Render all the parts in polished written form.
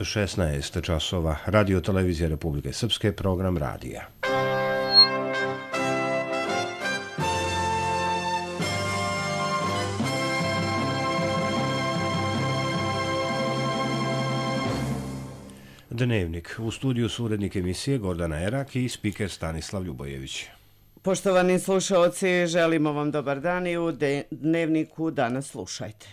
16 časova, Radio Televizija Republike Srpske, program radija. Dnevnik. U studiju su urednik emisije Gordana Erak i spiker Stanislav Ljubojević. Poštovani slušaoci, želimo vam dobar dan i u Dnevniku danas slušajte.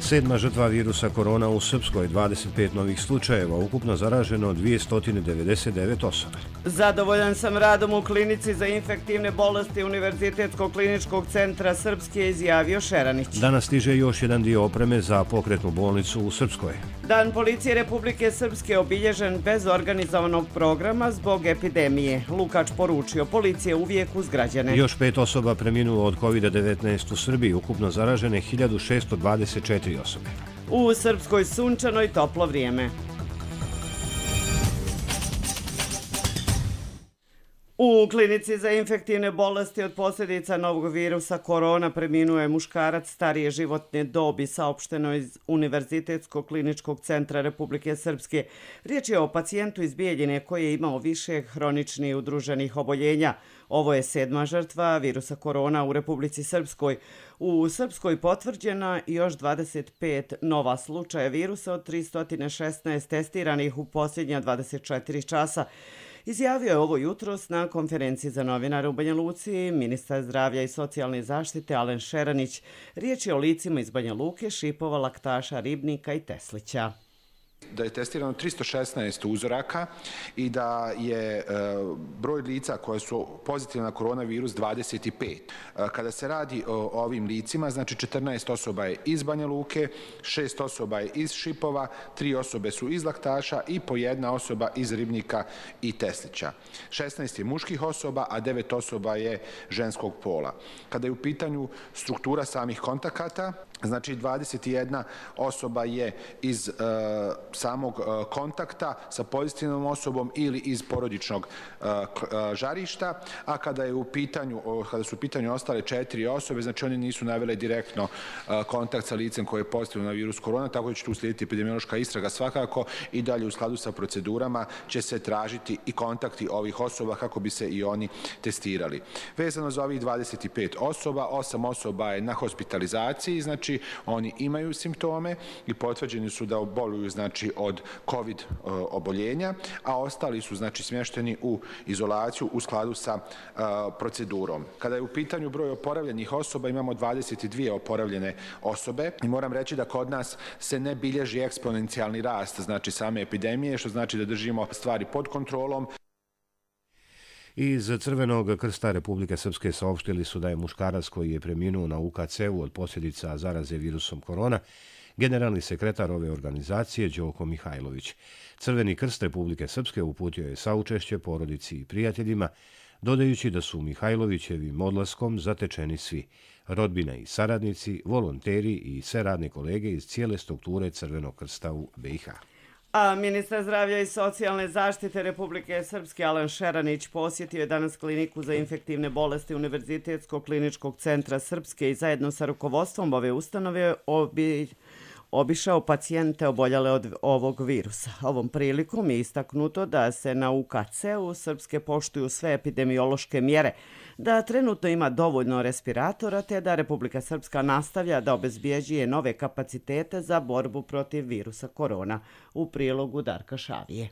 Sedma žrtva virusa korona u Srpskoj, 25 novih slučajeva, ukupno zaraženo 299 osoba. Zadovoljan sam radom u klinici za infektivne bolesti Univerzitetskog kliničkog centra Srpske, izjavio Šeranić. Danas stiže još jedan dio opreme za pokretnu bolnicu u Srpskoj. Dan policije Republike Srpske obilježen bez organizovanog programa zbog epidemije. Lukač poručio, policija uvijek uz građane. Još 5 osoba preminulo od COVID-19 u Srbiji, ukupno zaražene 1624 osobe. U Srpskoj sunčano i toplo vrijeme. U klinici za infektivne bolesti od posljedica novog virusa korona preminuo je muškarac starije životne dobi, saopšteno iz Univerzitetskog kliničkog centra Republike Srpske. Riječ je o pacijentu iz Bijeljine koji je imao više hroničnih udruženih oboljenja. Ovo je 7. žrtva virusa korona u Republici Srpskoj. U Srpskoj potvrđena još 25 nova slučaja virusa od 316 testiranih u posljednja 24 časa. Izjavio je ovo jutros na konferenciji za novinare u Banja Luci ministar zdravlja i socijalne zaštite Alen Šeranić. Riječ je o licima iz Banja Luke, Šipova, Laktaša, Ribnika i Teslića. Da je testirano 316 uzoraka i da je broj lica koje su pozitivne na koronavirus 25. Kada se radi o ovim licima, znači 14 osoba je iz Banja Luke, 6 osoba je iz Šipova, 3 osobe su iz Laktaša i po 1 osoba iz Ribnika i Teslića. 16 je muških osoba, a 9 osoba je ženskog pola. Kada je u pitanju struktura samih kontakata, znači 21 osoba je iz samog kontakta sa pozitivnom osobom ili iz porodičnog žarišta, a kada su u pitanju ostale 4 osobe, znači oni nisu navele direktno kontakt sa licem koje je pozitivno na virus korona, tako da će tu slijediti epidemiološka istraga svakako i dalje u skladu sa procedurama će se tražiti i kontakti ovih osoba kako bi se i oni testirali. Vezano za ovih 25 osoba, 8 osoba je na hospitalizaciji, znači oni imaju simptome i potvrđeni su da boluju znači od COVID oboljenja, a ostali su znači smješteni u izolaciju u skladu sa procedurom. Kada je u pitanju broj oporavljenih osoba, imamo 22 oporavljene osobe i moram reći da kod nas se ne bilježi eksponencijalni rast znači same epidemije, što znači da držimo stvari pod kontrolom. Iz Crvenog krsta Republike Srpske saopštili su da je muškarac koji je preminuo na UKC-u od posljedica zaraze virusom korona generalni sekretar ove organizacije Đoko Mihajlović. Crveni krst Republike Srpske uputio je saučešće porodici i prijateljima, dodajući da su Mihajlovićevim odlaskom zatečeni svi, rodbina i saradnici, volonteri i sve radne kolege iz cijele strukture Crvenog krsta u BiH. A ministar zdravlja i socijalne zaštite Republike Srpske Alen Šeranić posjetio je danas kliniku za infektivne bolesti Univerzitetskog kliničkog centra Srpske i zajedno sa rukovodstvom ove ustanove obišao pacijente oboljale od ovog virusa. Ovom prilikom je istaknuto da se na UKC-u Srpske poštuju sve epidemiološke mjere, da trenutno ima dovoljno respiratora te da Republika Srpska nastavlja da obezbjeđuje nove kapacitete za borbu protiv virusa korona. U prilogu Darka Šavije.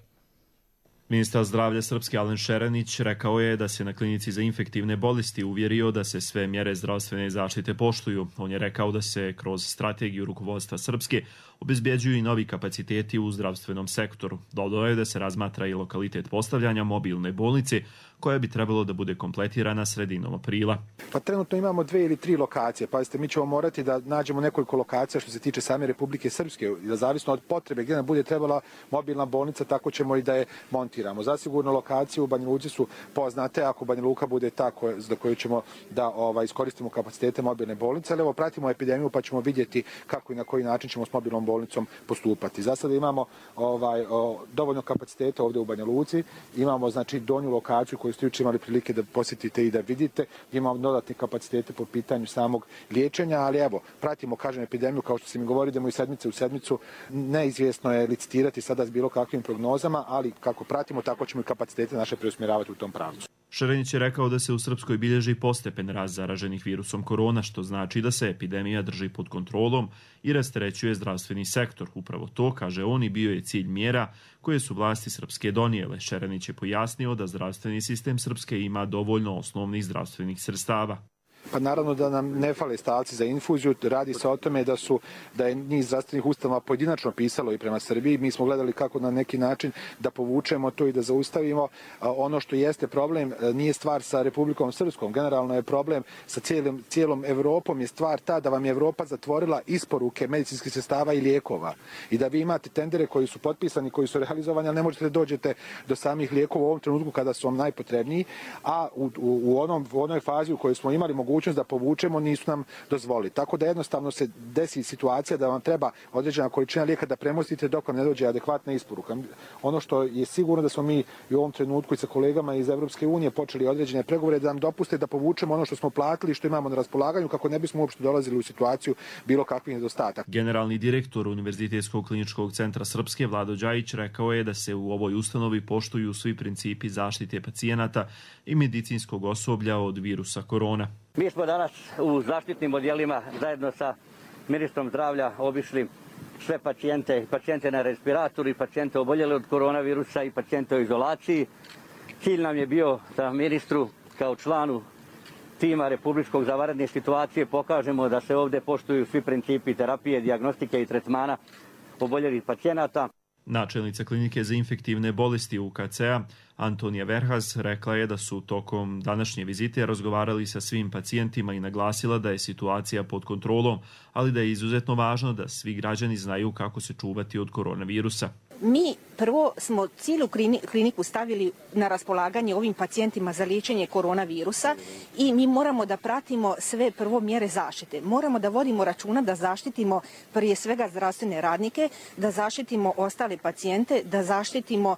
Ministar zdravlja Srpske Alen Šeranić rekao je da se na klinici za infektivne bolesti uvjerio da se sve mjere zdravstvene zaštite poštuju. On je rekao da se kroz strategiju rukovodstva Srpske obezbjeđuju i novi kapaciteti u zdravstvenom sektoru. Dodao je da se razmatra i lokalitet postavljanja mobilne bolnice koja bi trebalo da bude kompletirana sredinom aprila. Pa trenutno imamo 2 ili 3 lokacije. Pazite, mi ćemo morati da nađemo nekoliko lokacija što se tiče same Republike Srpske. Da zavisno od potrebe gdje nam bude trebala mobilna bolnica, tako ćemo i da je montiramo. testiramo. Zasigurno lokacije u Banja Luci su poznate, ako Banja Luka bude ta za koju ćemo da iskoristimo kapacitete mobilne bolnice, ali evo pratimo epidemiju pa ćemo vidjeti kako i na koji način ćemo s mobilnom bolnicom postupati. Za sada imamo dovoljno kapaciteta ovdje u Banja Luci, imamo znači donju lokaciju koju ste jučer imali prilike da posjetite i da vidite, imamo dodatne kapacitete po pitanju samog liječenja, ali evo, pratimo, kažem, epidemiju, kao što se mi govori, idemo iz sedmice u sedmicu, neizvjesno je licitirati sada s bilo kakvim prognozama, ali kako pratimo, tako ćemo i kapacitete naše preusmjeravati u tom pravcu. Šerenić je rekao da se u Srpskoj bilježi postepen rast zaraženih virusom korona, što znači da se epidemija drži pod kontrolom i rasterećuje zdravstveni sektor. Upravo to, kaže on, i bio je cilj mjera koje su vlasti Srpske donijele. Šerenić je pojasnio da zdravstveni sistem Srpske ima dovoljno osnovnih zdravstvenih sredstava. Pa naravno da nam ne fale stavci za infuziju, radi se o tome da je niz zdravstvenih ustanova pojedinačno pisalo i prema Srbiji. Mi smo gledali kako na neki način da povučemo to i da zaustavimo. Ono što jeste problem nije stvar sa Republikom Srpskom, generalno je problem sa cijelom Evropom, je stvar ta da vam je Evropa zatvorila isporuke medicinskih sredstava i lijekova i da vi imate tendere koji su potpisani, koji su realizovani, ali ne možete da dođete do samih lijekova u ovom trenutku kada su vam najpotrebniji, a u onoj fazi u kojoj smo imali mogućnost da povučemo, nisu nam dozvolili. Tako da jednostavno se desi situacija da vam treba određena količina lijeka da premostite dok vam ne dođe adekvatna isporuka. Ono što je sigurno da smo mi u ovom trenutku i sa kolegama iz Evropske unije počeli određene pregovore da nam dopuste da povučemo ono što smo platili, što imamo na raspolaganju, kako ne bismo uopšte dolazili u situaciju bilo kakvih nedostataka. Generalni direktor Univerzitetskog kliničkog centra Srpske, Vlado Đajić, rekao je da se u ovoj ustanovi poštuju svi principi zaštite pacijenata i medicinskog osoblja od virusa korona. Mi smo danas u zaštitnim odjelima zajedno sa ministrom zdravlja obišli sve pacijente na respiratoru i pacijente oboljele od koronavirusa i pacijente u izolaciji. Cilj nam je bio da ministru kao članu tima Republičkog za vanredne situacije pokažemo da se ovdje poštuju svi principi terapije, dijagnostike i tretmana oboljelih pacijenata. Načelnica klinike za infektivne bolesti UKC-a Antonija Verhas rekla je da su tokom današnje vizite razgovarali sa svim pacijentima i naglasila da je situacija pod kontrolom, ali da je izuzetno važno da svi građani znaju kako se čuvati od koronavirusa. Mi prvo smo cijelu kliniku stavili na raspolaganje ovim pacijentima za liječenje koronavirusa i mi moramo da pratimo sve prvo mjere zaštite. Moramo da vodimo računa da zaštitimo prije svega zdravstvene radnike, da zaštitimo ostale pacijente, da zaštitimo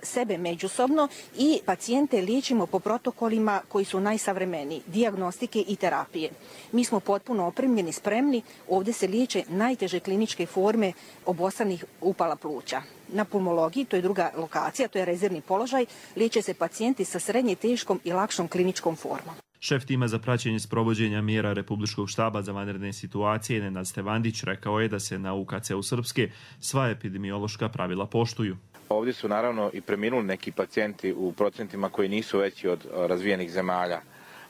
sebe međusobno i pacijente liječimo po protokolima koji su najsavremeniji, dijagnostike i terapije. Mi smo potpuno opremljeni, spremni, ovdje se liječe najteže kliničke forme obostranih upala pluća. Na pulmologiji, to je druga lokacija, to je rezervni položaj, liječe se pacijenti sa srednje teškom i lakšom kliničkom formom. Šef tima za praćenje sprovođenja mjera Republičkog štaba za vanredne situacije Nenad Stevandić rekao je da se na UKC-u Srpske sva epidemiološka pravila poštuju. Ovdje su naravno i preminuli neki pacijenti u procentima koji nisu veći od razvijenih zemalja.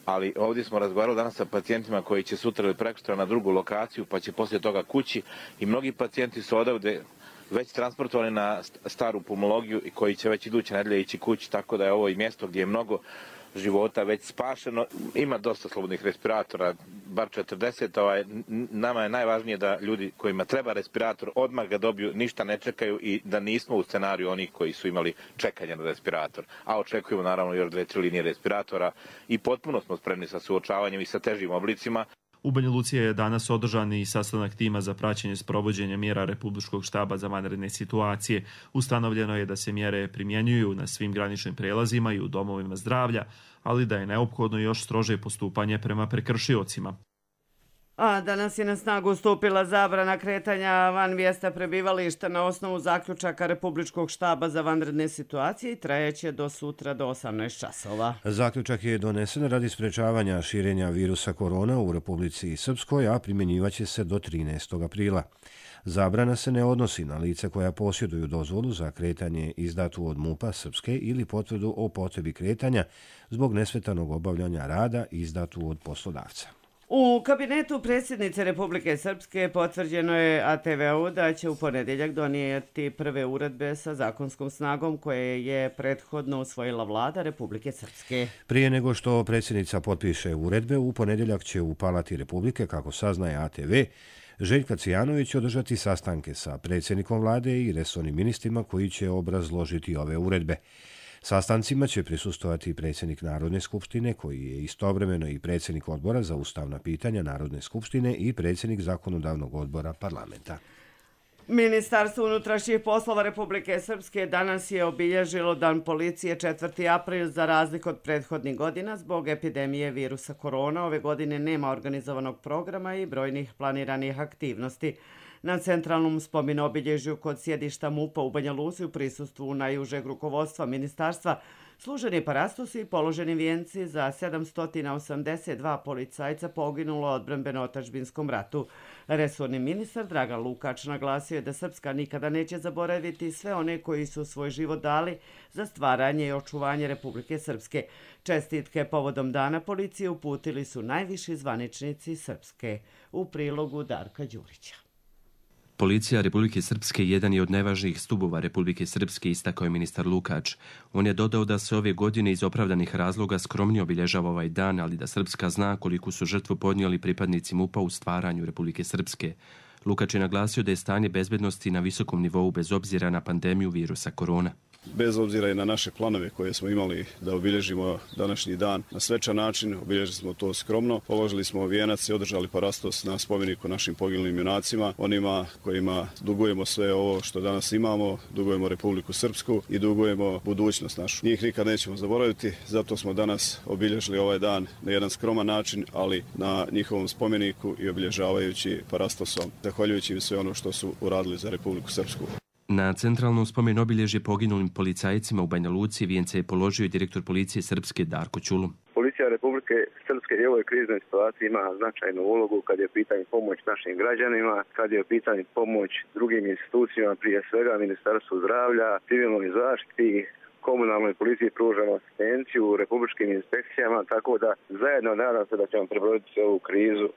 Ali ovdje smo razgovarali danas sa pacijentima koji će sutra ili prekosutra na drugu lokaciju pa će poslije toga kući i mnogi pacijenti su odavde već transportovani na staru pulmologiju i koji će već iduće nedelje ići kući, tako da je ovo i mjesto gdje je mnogo života već spašeno. Ima dosta slobodnih respiratora, bar 40. Nama je najvažnije da ljudi kojima treba respirator odmah ga dobiju, ništa ne čekaju i da nismo u scenariju onih koji su imali čekanje na respirator. A očekujemo naravno još 2-3 linije respiratora i potpuno smo spremni sa suočavanjem i sa težim oblicima. U Banja Luci je danas održan i sastanak tima za praćenje sprovođenja mjera Republičkog štaba za vanredne situacije. Ustanovljeno je da se mjere primjenjuju na svim graničnim prelazima i u domovima zdravlja, ali da je neophodno još strože postupanje prema prekršiocima. A danas je na snagu stupila zabrana kretanja van mjesta prebivališta na osnovu zaključaka Republičkog štaba za vanredne situacije i trajeće do sutra do 18 časova. Zaključak je donesen radi sprečavanja širenja virusa korona u Republici Srpskoj, a primjenjivaće se do 13. aprila. Zabrana se ne odnosi na lica koja posjeduju dozvolu za kretanje izdatu od MUP-a Srpske ili potvrdu o potrebi kretanja zbog nesmetanog obavljanja rada izdatu od poslodavca. U kabinetu predsjednice Republike Srpske potvrđeno je ATV-u da će u ponedjeljak donijeti prve uredbe sa zakonskom snagom koje je prethodno usvojila vlada Republike Srpske. Prije nego što predsjednica potpiše uredbe, u ponedjeljak će u Palati Republike, kako saznaje ATV, Željka Cijanović održati sastanke sa predsjednikom vlade i resornim ministrima koji će obrazložiti ove uredbe. Sastancima će prisustovati predsjednik Narodne skupštine, koji je istovremeno i predsjednik odbora za ustavna pitanja Narodne skupštine i predsjednik zakonodavnog odbora parlamenta. Ministarstvo unutrašnjih poslova Republike Srpske danas je obilježilo Dan policije 4. april za razliku od prethodnih godina. Zbog epidemije virusa korona ove godine nema organizovanog programa i brojnih planiranih aktivnosti. Na centralnom spomenobilježju kod sjedišta MUP-a u Banja Luci u prisustvu najužeg rukovodstva ministarstva služeni parastosi i položeni vijenci za 782 policajca poginulo u odbrambeno-otadžbinskom ratu. Resorni ministar Dragan Lukač naglasio je da Srpska nikada neće zaboraviti sve one koji su svoj život dali za stvaranje i očuvanje Republike Srpske. Čestitke povodom Dana policije uputili su najviši zvaničnici Srpske. U prilogu Darka Đurića. Policija Republike Srpske jedan je od najvažnijih stubova Republike Srpske, istakao je ministar Lukač. On je dodao da se ove godine iz opravdanih razloga skromnije obilježava ovaj dan, ali da Srpska zna koliku su žrtvu podnijeli pripadnici MUP-a u stvaranju Republike Srpske. Lukač je naglasio da je stanje bezbednosti na visokom nivou bez obzira na pandemiju virusa korona. Bez obzira i na naše planove koje smo imali da obilježimo današnji dan na svečan način, obilježili smo to skromno, položili smo vijenac i održali parastos na spomeniku našim poginulim junacima, onima kojima dugujemo sve ovo što danas imamo, dugujemo Republiku Srpsku i dugujemo budućnost našu. Njih nikad nećemo zaboraviti, zato smo danas obilježili ovaj dan na jedan skroman način, ali na njihovom spomeniku i obilježavajući parastosom, zahvaljujući im sve ono što su uradili za Republiku Srpsku. Na centralnom spomenobilježju poginulim policajcima u Banja Luci vijence je položio i direktor policije Srpske Darko Ćulu. Policija Republike Srpske u ovoj kriznoj situaciji ima značajnu ulogu kad je u pitanju pomoć našim građanima, kad je u pitanju pomoć drugim institucijama, prije svega Ministarstvu zdravlja, civilnoj zaštiti, komunalnoj policiji pružamo asistenciju, republičkim inspekcijama, tako da zajedno nadam se da ćemo prebroditi ovu krizu.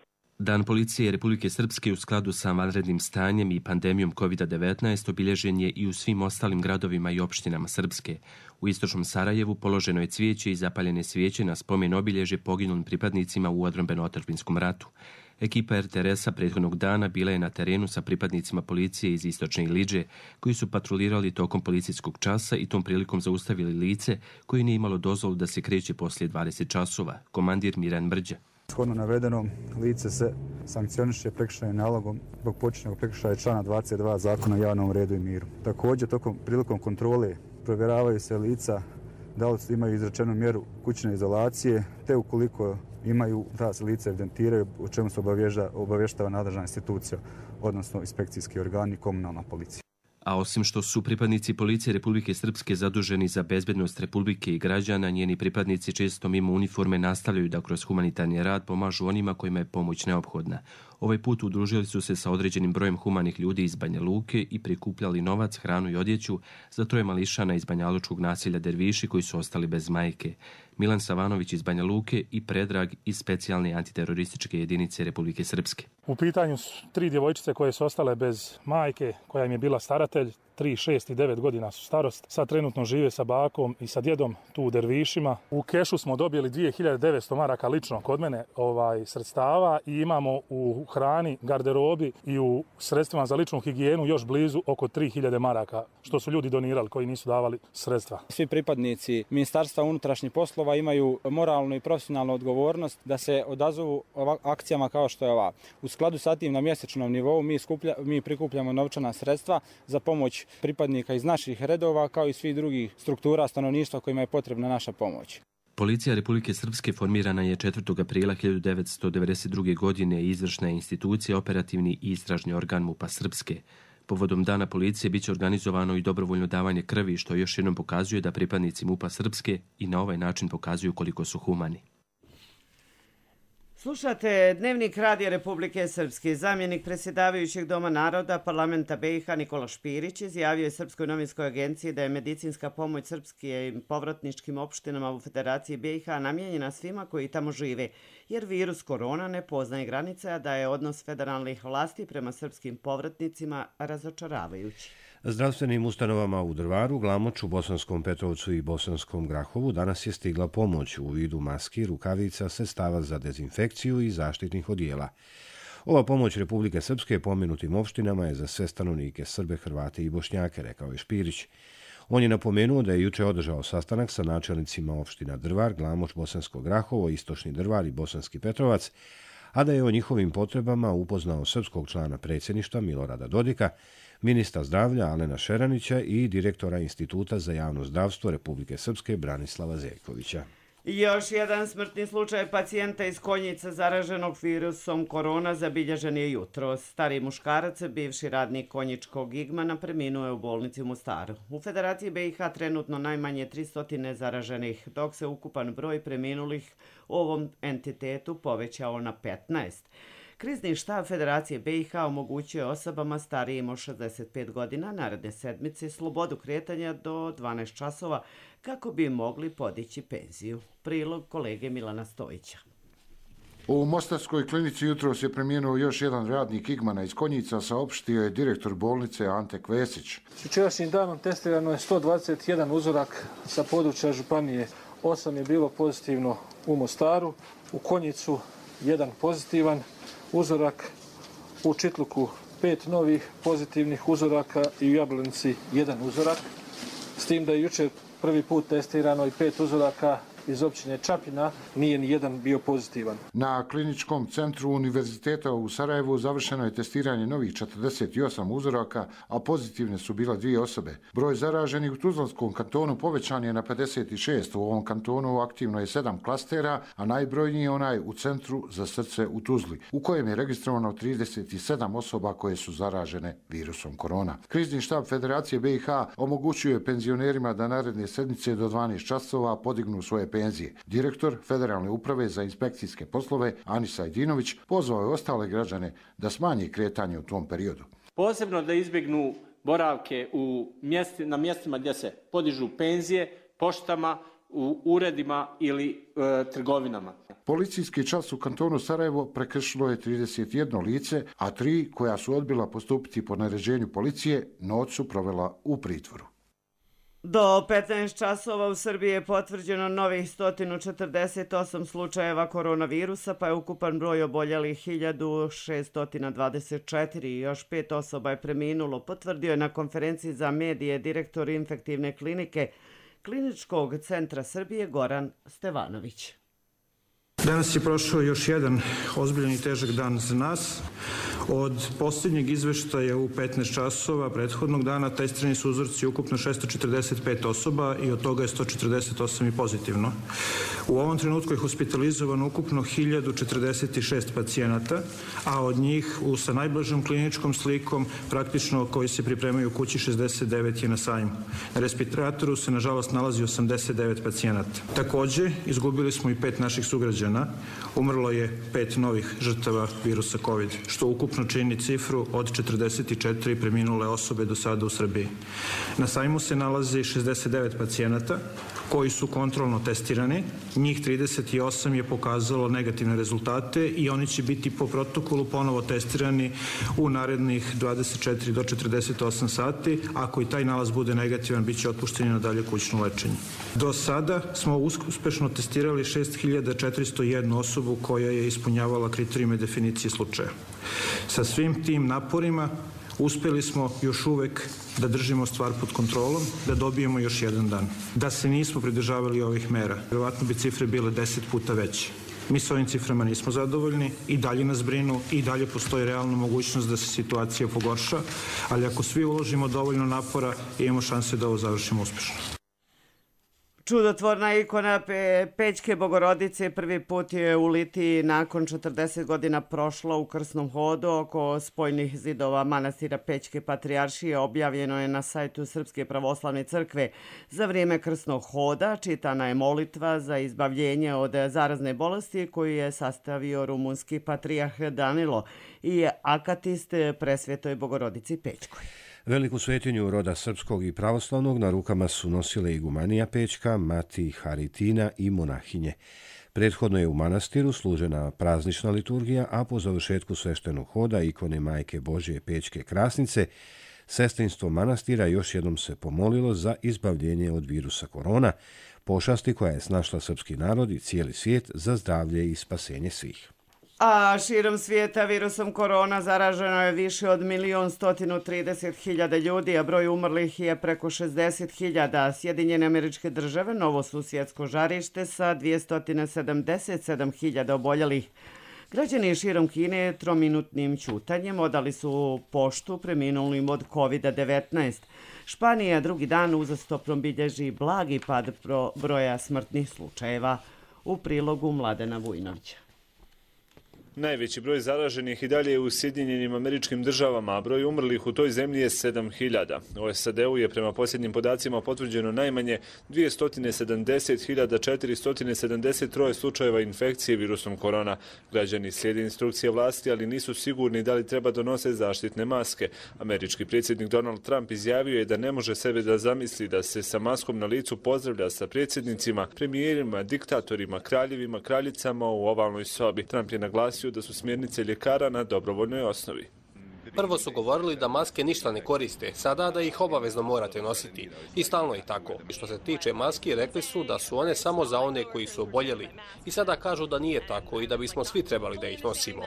Dan policije Republike Srpske u skladu sa vanrednim stanjem i pandemijom COVID-19 obilježen je i u svim ostalim gradovima i opštinama Srpske. U istočnom Sarajevu položeno je cvijeće i zapaljene svijeće na spomen obilježje poginulim pripadnicima u odbrambeno-otadžbinskom ratu. Ekipa RTRS-a prethodnog dana bila je na terenu sa pripadnicima policije iz istočne Iliđe, koji su patrolirali tokom policijskog časa i tom prilikom zaustavili lice koje nije imalo dozvolu da se kreće poslije 20 časova, komandir Miran Mrđa. Shodno navedenom, lice se sankcioniše prekršajnim nalogom zbog počinjenog prekršaja člana 22 Zakona o javnom redu i miru. Također, prilikom kontrole provjeravaju se lica da li imaju izrečenu mjeru kućne izolacije, te ukoliko imaju, ta se lica evidentiraju, o čemu se obavještava nadležna institucija, odnosno inspekcijski organi i komunalna policija. A osim što su pripadnici policije Republike Srpske zaduženi za bezbednost Republike i građana, njeni pripadnici često mimo uniforme nastavljaju da kroz humanitarni rad pomažu onima kojima je pomoć neophodna. Ovaj put udružili su se sa određenim brojem humanih ljudi iz Banja Luke i prikupljali novac, hranu i odjeću za 3 mališana iz banjalučkog naselja Derviši koji su ostali bez majke. Milan Savanović iz Banja Luke i Predrag iz specijalne antiterorističke jedinice Republike Srpske. U pitanju su 3 djevojčice koje su ostale bez majke, koja im je bila staratelj. 3, 6 i 9 godina su starost. Sad trenutno žive sa bakom i sa djedom tu u Dervišima. U kešu smo dobili 2900 maraka lično kod mene sredstava i imamo u hrani, garderobi i u sredstvima za ličnu higijenu još blizu oko 3000 maraka, što su ljudi donirali koji nisu davali sredstva. Svi pripadnici Ministarstva unutrašnjih poslova imaju moralnu i profesionalnu odgovornost da se odazovu akcijama kao što je ova. U skladu sa tim na mjesečnom nivou mi prikupljamo novčana sredstva za pomoć pripadnika iz naših redova kao i svih drugih struktura stanovništva kojima je potrebna naša pomoć. Policija Republike Srpske formirana je 4. aprila 1992. godine i izvršna je institucija, operativni i istražni organ MUP-a Srpske. Povodom Dana policije biće organizovano i dobrovoljno davanje krvi, što još jednom pokazuje da pripadnici MUP-a Srpske i na ovaj način pokazuju koliko su humani. Slušate Dnevnik Radija Republike Srpske. Zamjenik predsjedavajućeg Doma naroda parlamenta BiH Nikola Špirić izjavio je Srpskoj novinskoj agenciji da je medicinska pomoć srpskim povratničkim opštinama u Federaciji BiH namijenjena svima koji tamo žive, jer virus korona ne poznaje granice, a da je odnos federalnih vlasti prema srpskim povratnicima razočaravajući. Zdravstvenim ustanovama u Drvaru, Glamoču, Bosanskom Petrovcu i Bosanskom Grahovu danas je stigla pomoć u vidu maski, rukavica, sredstava za dezinfekciju i zaštitnih odijela. Ova pomoć Republike Srpske pomenutim opštinama je za sve stanovnike, Srbe, Hrvate i Bošnjake, rekao je Špirić. On je napomenuo da je juče održao sastanak sa načelnicima opština Drvar, Glamoč, Bosansko Grahovo, Istočni Drvar i Bosanski Petrovac, a da je o njihovim potrebama upoznao srpskog člana predsjedništva Milorada Dodika, ministra zdravlja Alena Šeranića i direktora Instituta za javno zdravstvo Republike Srpske Branislava Zeljkovića. Još jedan smrtni slučaj pacijenta iz Konjica zaraženog virusom korona zabilježen je jutro. Stari muškarac, bivši radnik konjičkog Igmana, preminuo je u bolnici u Mostaru. U Federaciji BiH trenutno najmanje 300 zaraženih, dok se ukupan broj preminulih u ovom entitetu povećao na 15. Krizni štab Federacije BiH omogućuje osobama starijim od 65 godina naredne sedmice slobodu kretanja do 12 časova kako bi mogli podići penziju. Prilog kolege Milana Stojića. U Mostarskoj klinici jutros je preminuo još jedan radnik Igmana iz Konjica, saopštio je direktor bolnice Ante Kvesić. S jučerašnjim danom testirano je 121 uzorak sa područja županije. 8 je bilo pozitivno u Mostaru, u Konjicu 1 pozitivan uzorak, u Čitluku 5 novih pozitivnih uzoraka i u Jablanici 1 uzorak. S tim da je jučer prvi put testirano i 5 uzoraka iz općine Čapljina, nije ni jedan bio pozitivan. Na kliničkom centru Univerziteta u Sarajevu završeno je testiranje novih 48 uzoraka, a pozitivne su bila 2 osobe. Broj zaraženih u Tuzlanskom kantonu povećan je na 56. U ovom kantonu aktivno je 7 klastera, a najbrojniji je onaj u Centru za srce u Tuzli, u kojem je registrovano 37 osoba koje su zaražene virusom korona. Krizni štab Federacije BiH omogućuje penzionerima da naredne sedmice do 12 časova podignu svoje penzije. Direktor Federalne uprave za inspekcijske poslove Anisa Ajdinović pozvao je ostale građane da smanje kretanje u tom periodu. Posebno da izbjegnu boravke na mjestima gdje se podižu penzije, poštama, u uredima ili trgovinama. Policijski čas u kantonu Sarajevo prekršilo je 31 lice, a 3 koja su odbila postupiti po naređenju policije noć su provela u pritvoru. Do 15 časova u Srbiji je potvrđeno novih 148 slučajeva koronavirusa, pa je ukupan broj oboljelih 1624 i još 5 osoba je preminulo, potvrdio je na konferenciji za medije direktor infektivne klinike Kliničkog centra Srbije Goran Stevanović. Danas je prošao još jedan ozbiljan i težak dan za nas. Od posljednjeg izveštaja u 15 časova prethodnog dana testirani su uzorci ukupno 645 osoba i od toga je 148 i pozitivno. U ovom trenutku je hospitalizovano ukupno 1046 pacijenata, a od njih sa najblažom kliničkom slikom praktično koji se pripremaju u kući 69 je na sajmu. Na respiratoru se nažalost nalazi 89 pacijenata. Također izgubili smo i 5 naših sugrađana. Umrlo je 5 novih žrtava virusa COVID, što ukupno čini cifru od 44 preminule osobe do sada u Srbiji. Na sajmu se nalazi 69 pacijenata koji su kontrolno testirani. Njih 38 je pokazalo negativne rezultate i oni će biti po protokolu ponovo testirani u narednih 24 do 48 sati. Ako i taj nalaz bude negativan, bit će otpušteni na dalje kućno lečenje. Do sada smo uspešno testirali 6401 osobu koja je ispunjavala kriterijume definicije slučaja. Sa svim tim naporima uspjeli smo još uvek da držimo stvar pod kontrolom, da dobijemo još jedan dan. Da se nismo pridržavali ovih mera, vjerovatno bi cifre bile 10 puta veće. Mi s ovim ciframa nismo zadovoljni i dalje nas brinu i dalje postoji realna mogućnost da se situacija pogorša, ali ako svi uložimo dovoljno napora, imamo šanse da ovo završimo uspješno. Čudotvorna ikona Pećke Bogorodice prvi put je u Litiji nakon 40 godina prošla u krsnom hodu oko spojnih zidova manastira Pećke Patrijaršije. Objavljeno je na sajtu Srpske pravoslavne crkve. Za vrijeme krsnog hoda čitana je molitva za izbavljenje od zarazne bolesti koju je sastavio rumunski patrijarh Danilo i akatist Presvetoj Bogorodici Pećkoj. Veliku svetinju roda srpskog i pravoslavnog na rukama su nosile igumanija Pećka, mati Haritina i monahinje. Prethodno je u manastiru služena praznična liturgija, a po završetku sveštenog hoda ikone Majke Božje Pećke Krasnice, sestrinstvo manastira još jednom se pomolilo za izbavljenje od virusa korona, pošasti koja je snašla srpski narod i cijeli svijet, za zdravlje i spasenje svih. A širom svijeta virusom korona zaraženo je više od 1.130.000 ljudi, a broj umrlih je preko 60.000. Sjedinjene Američke Države, novo susjedsko žarište sa 277.000 oboljelih. Građani širom Kine trominutnim ćutanjem odali su poštu preminulim od COVID-19. Španija drugi dan uzastopno bilježi blagi pad broja smrtnih slučajeva. U prilogu Mladena Vujnovića. Najveći broj zaraženih i dalje je u Sjedinjenim Američkim Državama, a broj umrlih u toj zemlji je 7.000. U SAD-u je prema posljednjim podacima potvrđeno najmanje 270.473 slučajeva infekcije virusom korona. Građani slijede instrukcije vlasti, ali nisu sigurni da li treba donose zaštitne maske. Američki predsjednik Donald Trump izjavio je da ne može sebe da zamisli da se sa maskom na licu pozdravlja sa predsjednicima, premijerima, diktatorima, kraljevima, kraljicama u ovalnoj sobi. Trump je naglasio da su smjernice ljekara na dobrovoljnoj osnovi. Prvo su govorili da maske ništa ne koriste, sada da ih obavezno morate nositi. I stalno je tako. I što se tiče maski, rekli su da su one samo za one koji su oboljeli. I sada kažu da nije tako i da bismo svi trebali da ih nosimo.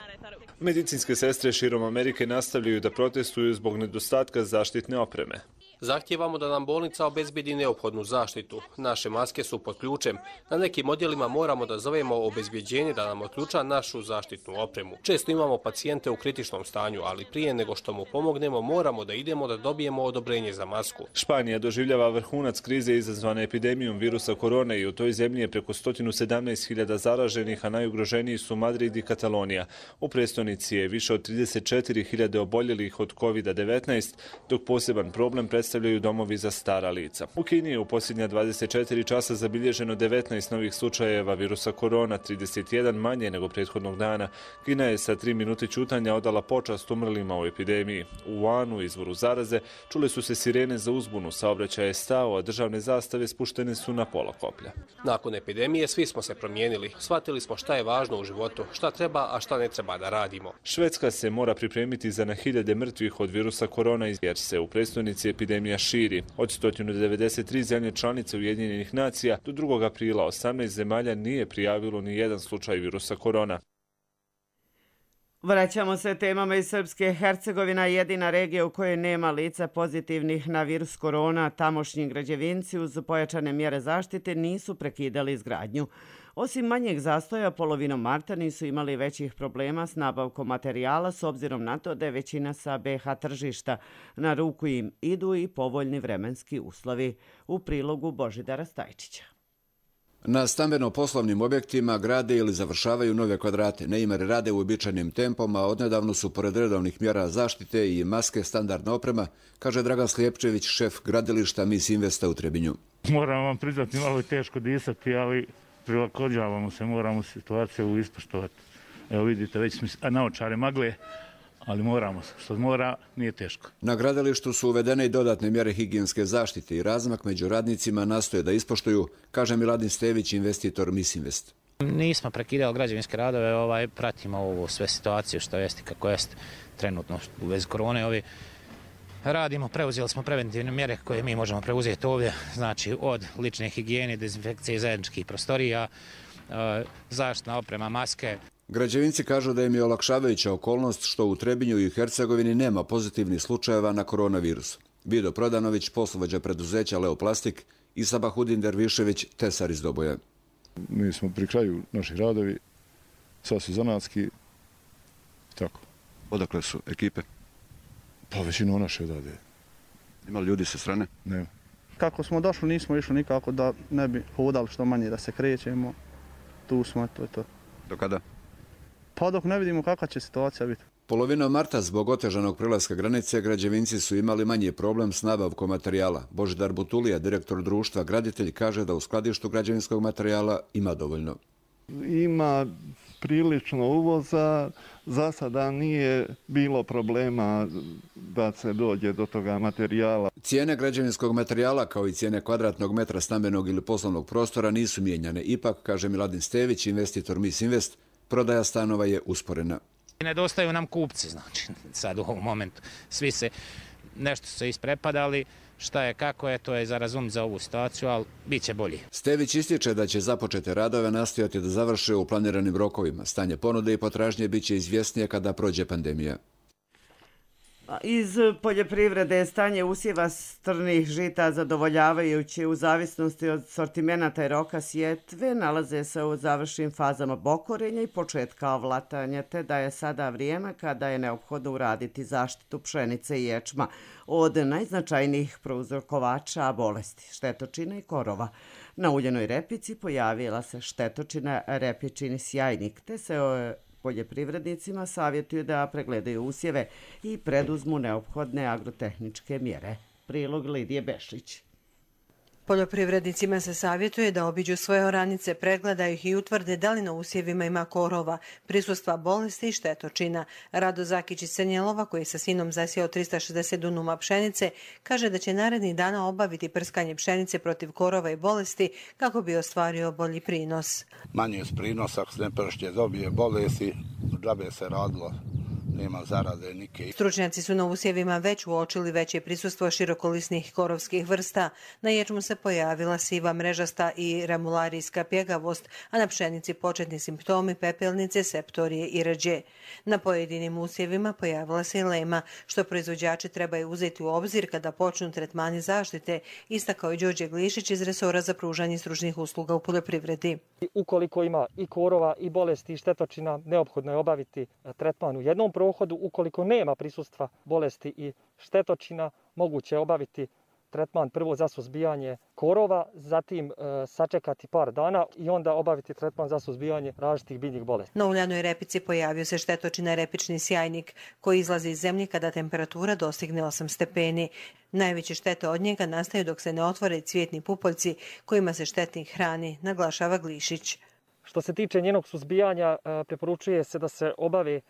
Medicinske sestre širom Amerike nastavljaju da protestuju zbog nedostatka zaštitne opreme. Zahtijevamo da nam bolnica obezbedi neophodnu zaštitu. Naše maske su pod ključem. Na nekim odjelima moramo da zovemo obezbjeđenje da nam otključa našu zaštitnu opremu. Često imamo pacijente u kritičnom stanju, ali prije nego što mu pomognemo, moramo da idemo da dobijemo odobrenje za masku. Španija doživljava vrhunac krize izazvane epidemijom virusa korone i u toj zemlji je preko 117.000 zaraženih, a najugroženiji su Madrid i Katalonija. U prestonici je više od 34.000 oboljelih od COVID-19, dok poseban problem predstavljaju domovi za stara lica. U Kini je u posljednja 24 časa zabilježeno 19 novih slučajeva virusa korona, 31 manje nego prethodnog dana. Kina je sa 3 minute ćutanja odala počast umrlima u epidemiji. U Wuhanu, izvoru zaraze, čule su se sirene za uzbunu, saobraćaj je stao, a državne zastave spuštene su na pola koplja. Nakon epidemije svi smo se promijenili. Shvatili smo šta je važno u životu, šta treba, a šta ne treba da radimo. Švedska se mora pripremiti za na hiljade mrtvih od virusa korona jer se u prestonici epidemija širi. Od 193 zemlje članice Ujedinjenih nacija do 2. aprila 18 zemalja nije prijavilo ni jedan slučaj virusa korona. Vraćamo se temama iz Srpske. Hercegovina je jedina regija u kojoj nema lica pozitivnih na virus korona. Tamošnji građevinci uz pojačane mjere zaštite nisu prekidali izgradnju. Osim manjeg zastoja, polovinom marta nisu imali većih problema s nabavkom materijala s obzirom na to da je većina sa BiH tržišta. Na ruku im idu i povoljni vremenski uslovi. U prilogu Božidara Stajčića. Na stambeno-poslovnim objektima grade ili završavaju nove kvadrate. Neimari rade u uobičajenim tempom, a odnedavno su pored redovnih mjera zaštite i maske standardna oprema, kaže Dragan Slijepčević, šef gradilišta Mis Investa u Trebinju. Moram vam priznati, malo je teško disati, ali prilagođavamo se, moramo situaciju ispoštovati. Evo vidite, već smo naočare magle, ali moramo se. Što mora, nije teško. Na gradilištu su uvedene i dodatne mjere higijenske zaštite i razmak među radnicima nastoje da ispoštuju, kaže Miladin Stević, investitor Mis Invest. Nismo prekidali građevinske radove, pratimo ovu sve situaciju što jeste kako jeste trenutno u vezi korone. Radimo, preuzeli smo preventivne mjere koje mi možemo preuzeti ovdje, znači od lične higijene, dezinfekcije zajedničkih prostorija, zaštitna oprema, maske. Građevinci kažu da im je olakšavajuća okolnost što u Trebinju i Hercegovini nema pozitivnih slučajeva na koronavirus. Vido Prodanović, poslovođa preduzeća Leoplastik, i Sabahudin Dervišević, tesar iz Doboja. Mi smo pri kraju naših radovi, sad su zanatski, tako. Odakle su ekipe? Pa većinu naše odade. Ima li ljudi sa strane? Nema. Kako smo došli, nismo išli nikako da ne bi hodali što manje, da se krećemo. Tu smo, to je to. Do kada? Pa dok ne vidimo kakva će situacija biti. Polovinom marta zbog otežanog prelaska granice građevinci su imali manji problem s nabavkom materijala. Božidar Butulija, direktor društva Graditelj, kaže da u skladištu građevinskog materijala ima dovoljno. Ima prilično uvoza, za sada nije bilo problema da se dođe do toga materijala. Cijene građevinskog materijala kao i cijene kvadratnog metra stambenog ili poslovnog prostora nisu mijenjane. Ipak, kaže Miladin Stević, investitor Mis Invest, prodaja stanova je usporena. Nedostaju nam kupci, znači sad u ovom momentu. Svi se nešto su se isprepadali, šta je, kako je, to je za razum za ovu situaciju, ali bit će bolji. Stević ističe da će započete radove nastojati da završe u planiranim rokovima. Stanje ponude i potražnje bit će izvjesnije kada prođe pandemija. Iz poljoprivrede stanje usjeva strnih žita zadovoljavajući u zavisnosti od sortimenata i roka sjetve nalaze se u završnim fazama bokorenja i početka ovlatanja, te da je sada vrijeme kada je neophodno uraditi zaštitu pšenice i ječma od najznačajnijih prouzrokovača bolesti, štetočina i korova. Na uljenoj repici pojavila se štetočina repičini sjajnik, te se poljoprivrednicima savjetuju da pregledaju usjeve i preduzmu neophodne agrotehničke mjere. Prilog Lidije Bešić. Poljoprivrednicima se savjetuje da obiđu svoje oranice, pregledaju ih i utvrde da li na usjevima ima korova, prisustva bolesti i štetočina. Rado Zakić iz Crnjelova, koji je sa sinom zasijao 360 dunuma pšenice, kaže da će narednih dana obaviti prskanje pšenice protiv korova i bolesti kako bi ostvario bolji prinos. Manje je prinos, ako se ne pršće dobije bolesti, džabe se radilo. Nema zarade nike. Stručnjaci su na usjevima već uočili veće prisustvo širokolisnih korovskih vrsta. Na ječmu se pojavila siva mrežasta i remularijska pjegavost, a na pšenici početni simptomi pepelnice, septorije i rđe. Na pojedinim usjevima pojavila se i lema, što proizvođači trebaju uzeti u obzir kada počnu tretmani zaštite, istakao i Đorđe Glišić iz resora za pružanje stručnih usluga u poljoprivredi. Ukoliko ima i korova i bolesti i štetočina, neophodno je obaviti tretman u jednom prohodu. Ukoliko nema prisustva bolesti i štetočina, moguće je obaviti tretman prvo za suzbijanje korova, zatim sačekati par dana i onda obaviti tretman za suzbijanje različitih biljnih bolesti. Na uljanoj repici pojavio se štetočina repični sjajnik koji izlazi iz zemlje kada temperatura dostigne 8 stepeni. Najveće štete od njega nastaju dok se ne otvore cvjetni pupoljci kojima se štetnik hrani, naglašava Glišić. Što se tiče njenog suzbijanja, preporučuje se da se obave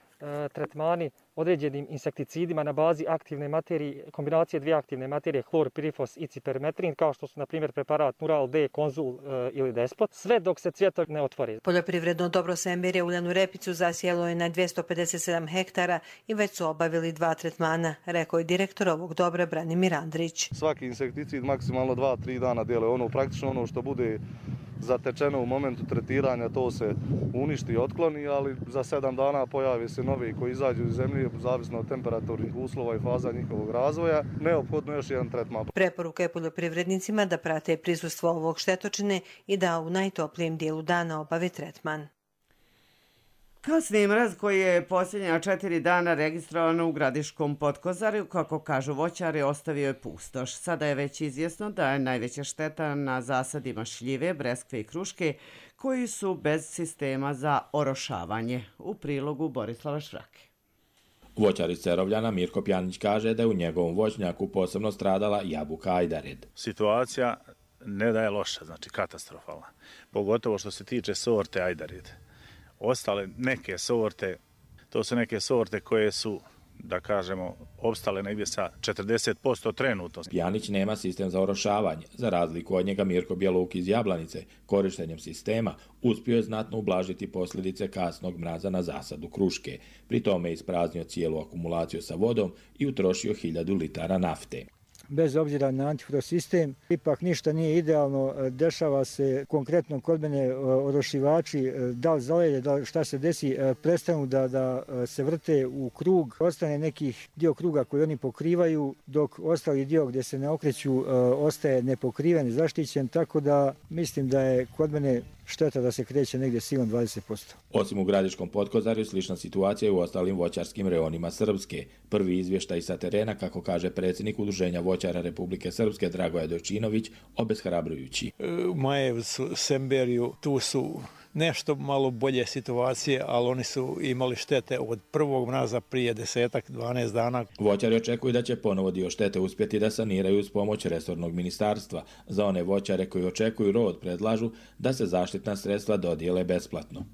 tretmani određenim insekticidima na bazi aktivne materije, kombinacije dvije aktivne materije, hlorpirifos i cipermetrin, kao što su, na primjer, preparat Nural D, Konzul ili Despot, sve dok se cvjetovi ne otvori. Poljoprivredno dobro Semberje uljanu repicu zasijelo je na 257 hektara i već su obavili 2 tretmana, rekao je direktor ovog dobra Branimir Andrić. Svaki insekticid maksimalno 2-3 dana djeluje. Praktično ono što bude zatečeno u momentu tretiranja, to se uništi i otkloni, ali za 7 dana pojavi se novi koji izađu iz zemlje, zavisno od temperaturnih uslova i faza njihovog razvoja, neophodno još jedan tretman. Preporuka je poljoprivrednicima da prate prisustvo ovog štetočine i da u najtoplijem dijelu dana obave tretman. Kasni mraz koji je posljednja 4 dana registrovan u Gradiškom Potkozarju, kako kažu voćari, ostavio je pustoš. Sada je već izvjesno da je najveća šteta na zasadima šljive, breskve i kruške, koji su bez sistema za orošavanje. U prilogu Borislava Švrake. Voćar iz Cerovljana Mirko Pjanić kaže da je u njegovom voćnjaku posebno stradala jabuka ajdared. Situacija ne da je loša, znači katastrofalna. Pogotovo što se tiče sorte ajdared. Ostale neke sorte, to su neke sorte koje su, da kažemo, opstale negdje sa 40% trenutno. Pjanić nema sistem za orošavanje. Za razliku od njega Mirko Bjeluk iz Jablanice, korištenjem sistema, uspio je znatno ublažiti posljedice kasnog mraza na zasadu kruške. Pri tome je ispraznio cijelu akumulaciju sa vodom i utrošio 1000 litara nafte. Bez obzira na antifrosistem, ipak ništa nije idealno, dešava se konkretno kod mene orošivači, da li zalede, da šta se desi, prestanu da se vrte u krug, ostane nekih dio kruga koji oni pokrivaju, dok ostali dio gdje se ne okreću ostaje nepokriven, zaštićen, tako da mislim da je kod mene šteta da se kreće negdje silom 20%. Osim u Gradiškom Potkozarju, slična situacija je u ostalim voćarskim reonima Srpske. Prvi izvještaj sa terena, kako kaže predsjednik Udruženja voćara Republike Srpske Dragoje Dojčinović, obeshrabrujući. U Majevcu, Semberju, tu su nešto malo bolje situacije, ali oni su imali štete od prvog mraza prije 10-12 dana. Voćari očekuju da će ponovo dio štete uspjeti da saniraju uz pomoć resornog ministarstva. Za one voćare koji očekuju rod predlažu da se zaštitna sredstva dodijele besplatno.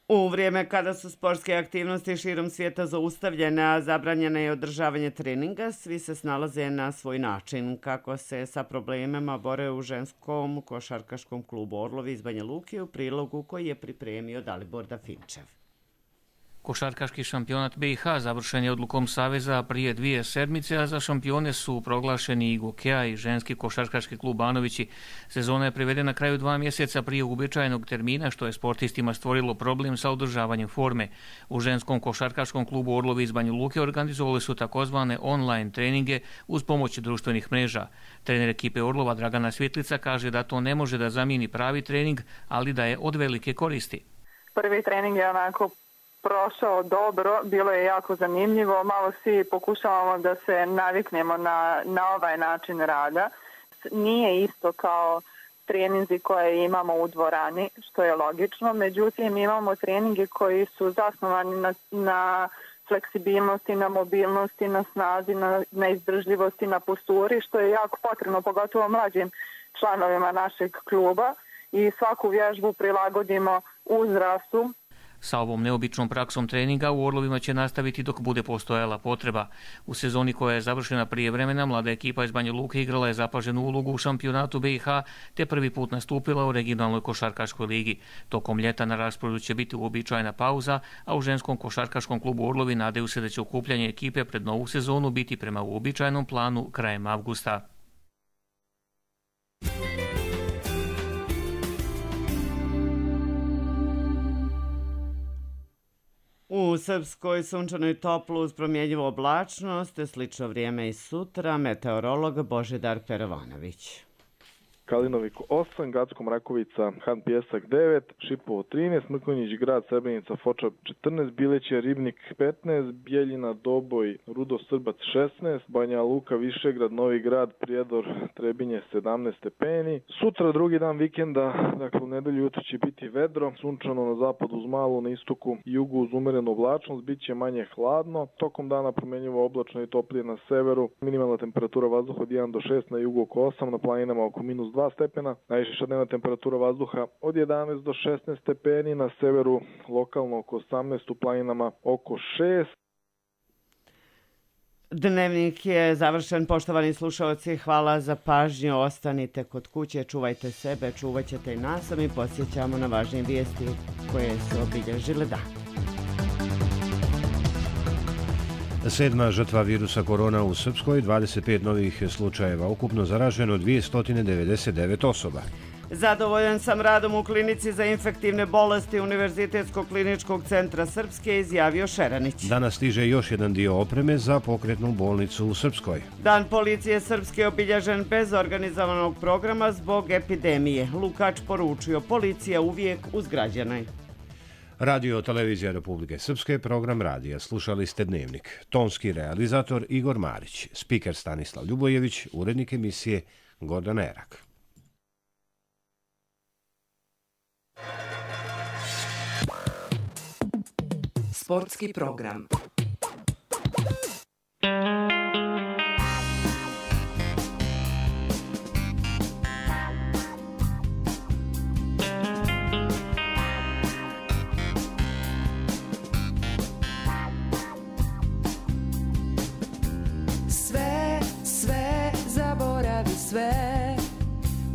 U vrijeme kada su sportske aktivnosti širom svijeta zaustavljene, a zabranjeno je održavanje treninga, svi se snalaze na svoj način. Kako se sa problemima bore u ženskom košarkaškom klubu Orlovi iz Banja Luke u prilogu koji je pripremio Dalibor Dafinčev. Košarkaški šampionat BiH završen je odlukom Saveza prije 2 sedmice, a za šampione su proglašeni i Gokeja i ženski košarkaški klub Banovići. Sezona je privedena na kraju 2 mjeseca prije uobičajenog termina, što je sportistima stvorilo problem sa održavanjem forme. U ženskom košarkaškom klubu Orlovi iz Banja Luke organizovali su takozvane online treninge uz pomoć društvenih mreža. Trener ekipe Orlova Dragana Svjetlica kaže da to ne može da zamijeni pravi trening, ali da je od velike koristi. Prvi trening je onako prošao dobro, bilo je jako zanimljivo, malo svi pokušavamo da se naviknemo na ovaj način rada. Nije isto kao treninzi koje imamo u dvorani, što je logično, međutim imamo treninge koji su zasnovani na fleksibilnosti, na mobilnosti, na snazi, na izdržljivosti, na posturi, što je jako potrebno, pogotovo mlađim članovima našeg kluba, i svaku vježbu prilagodimo uzrastu. Sa ovom neobičnom praksom treninga u Orlovima će nastaviti dok bude postojala potreba. U sezoni koja je završena prije vremena, mlada ekipa iz Banja Luke igrala je zapaženu ulogu u šampionatu BiH, te prvi put nastupila u regionalnoj košarkaškoj ligi. Tokom ljeta na rasporedu će biti uobičajena pauza, a u ženskom košarkaškom klubu Orlovi nadaju se da će okupljanje ekipe pred novu sezonu biti prema uobičajenom planu krajem avgusta. U Srpskoj sunčanoj toplu uz promjenjivu oblačnost, slično vrijeme i sutra, meteorolog Božidar Perovanović. Kalinovik 8, Gacko Mrakovica, Han Pjesak 9, Šipovo 13, Mrkonjić Grad, Srebrenica, Foča 14, Bileće, Ribnik 15, Bijeljina, Doboj, Rudo, Srbac 16, Banja Luka, Višegrad, Novi Grad, Prijedor, Trebinje 17 stepeni. Sutra drugi dan vikenda, dakle u nedelju jutro će biti vedro, sunčano na zapadu uz malu, na istoku i jugu uz umerenu oblačnost, bit će manje hladno. Tokom dana promjenjivo oblačno i toplije na severu, minimalna temperatura vazduha od 1 do 6, na jugu oko 8, na planinama oko -2 stepena, najviša dnevna temperatura vazduha od 11 do 16 stepeni, na severu lokalno oko 18, u planinama oko 6. Dnevnik je završen, poštovani slušalci, hvala za pažnju, ostanite kod kuće, čuvajte sebe, čuvat ćete i nas, a mi podsjećamo na važnije vijesti koje su obilježile dan. 7. žrtva virusa korona u Srpskoj, 25 novih slučajeva, ukupno zaraženo 299 osoba. Zadovoljan sam radom u klinici za infektivne bolesti Univerzitetskog kliničkog centra Srpske, izjavio Šeranić. Danas stiže još jedan dio opreme za pokretnu bolnicu u Srpskoj. Dan policije Srpske je obilježen bez organizovanog programa zbog epidemije. Lukač poručio, policija uvijek uz građane. Radio Televizija Republike Srpske, program radija. Slušali ste Dnevnik. Tonski realizator Igor Marić, spiker Stanislav Ljubojević, urednik emisije Gordan Erak. Sportski program. Sve, zaboravi sve,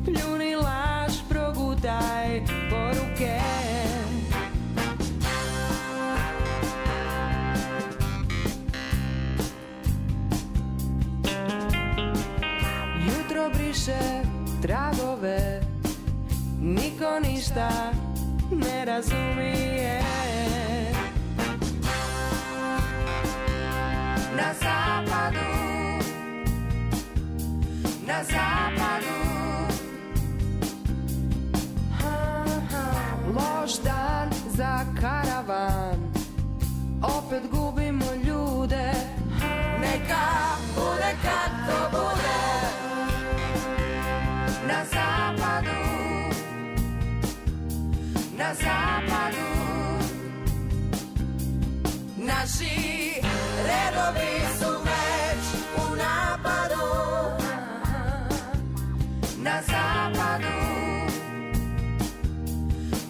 pljuni laž, progutaj poruke. Jutro briše tragove, niko ništa ne razumije. Na zapadu, na zapadu, loš dan za karavan, opet gubimo ljude, neka bude kad to bude. Na zapadu, na zapadu, naši redovi su već u napadu. Na zapadu,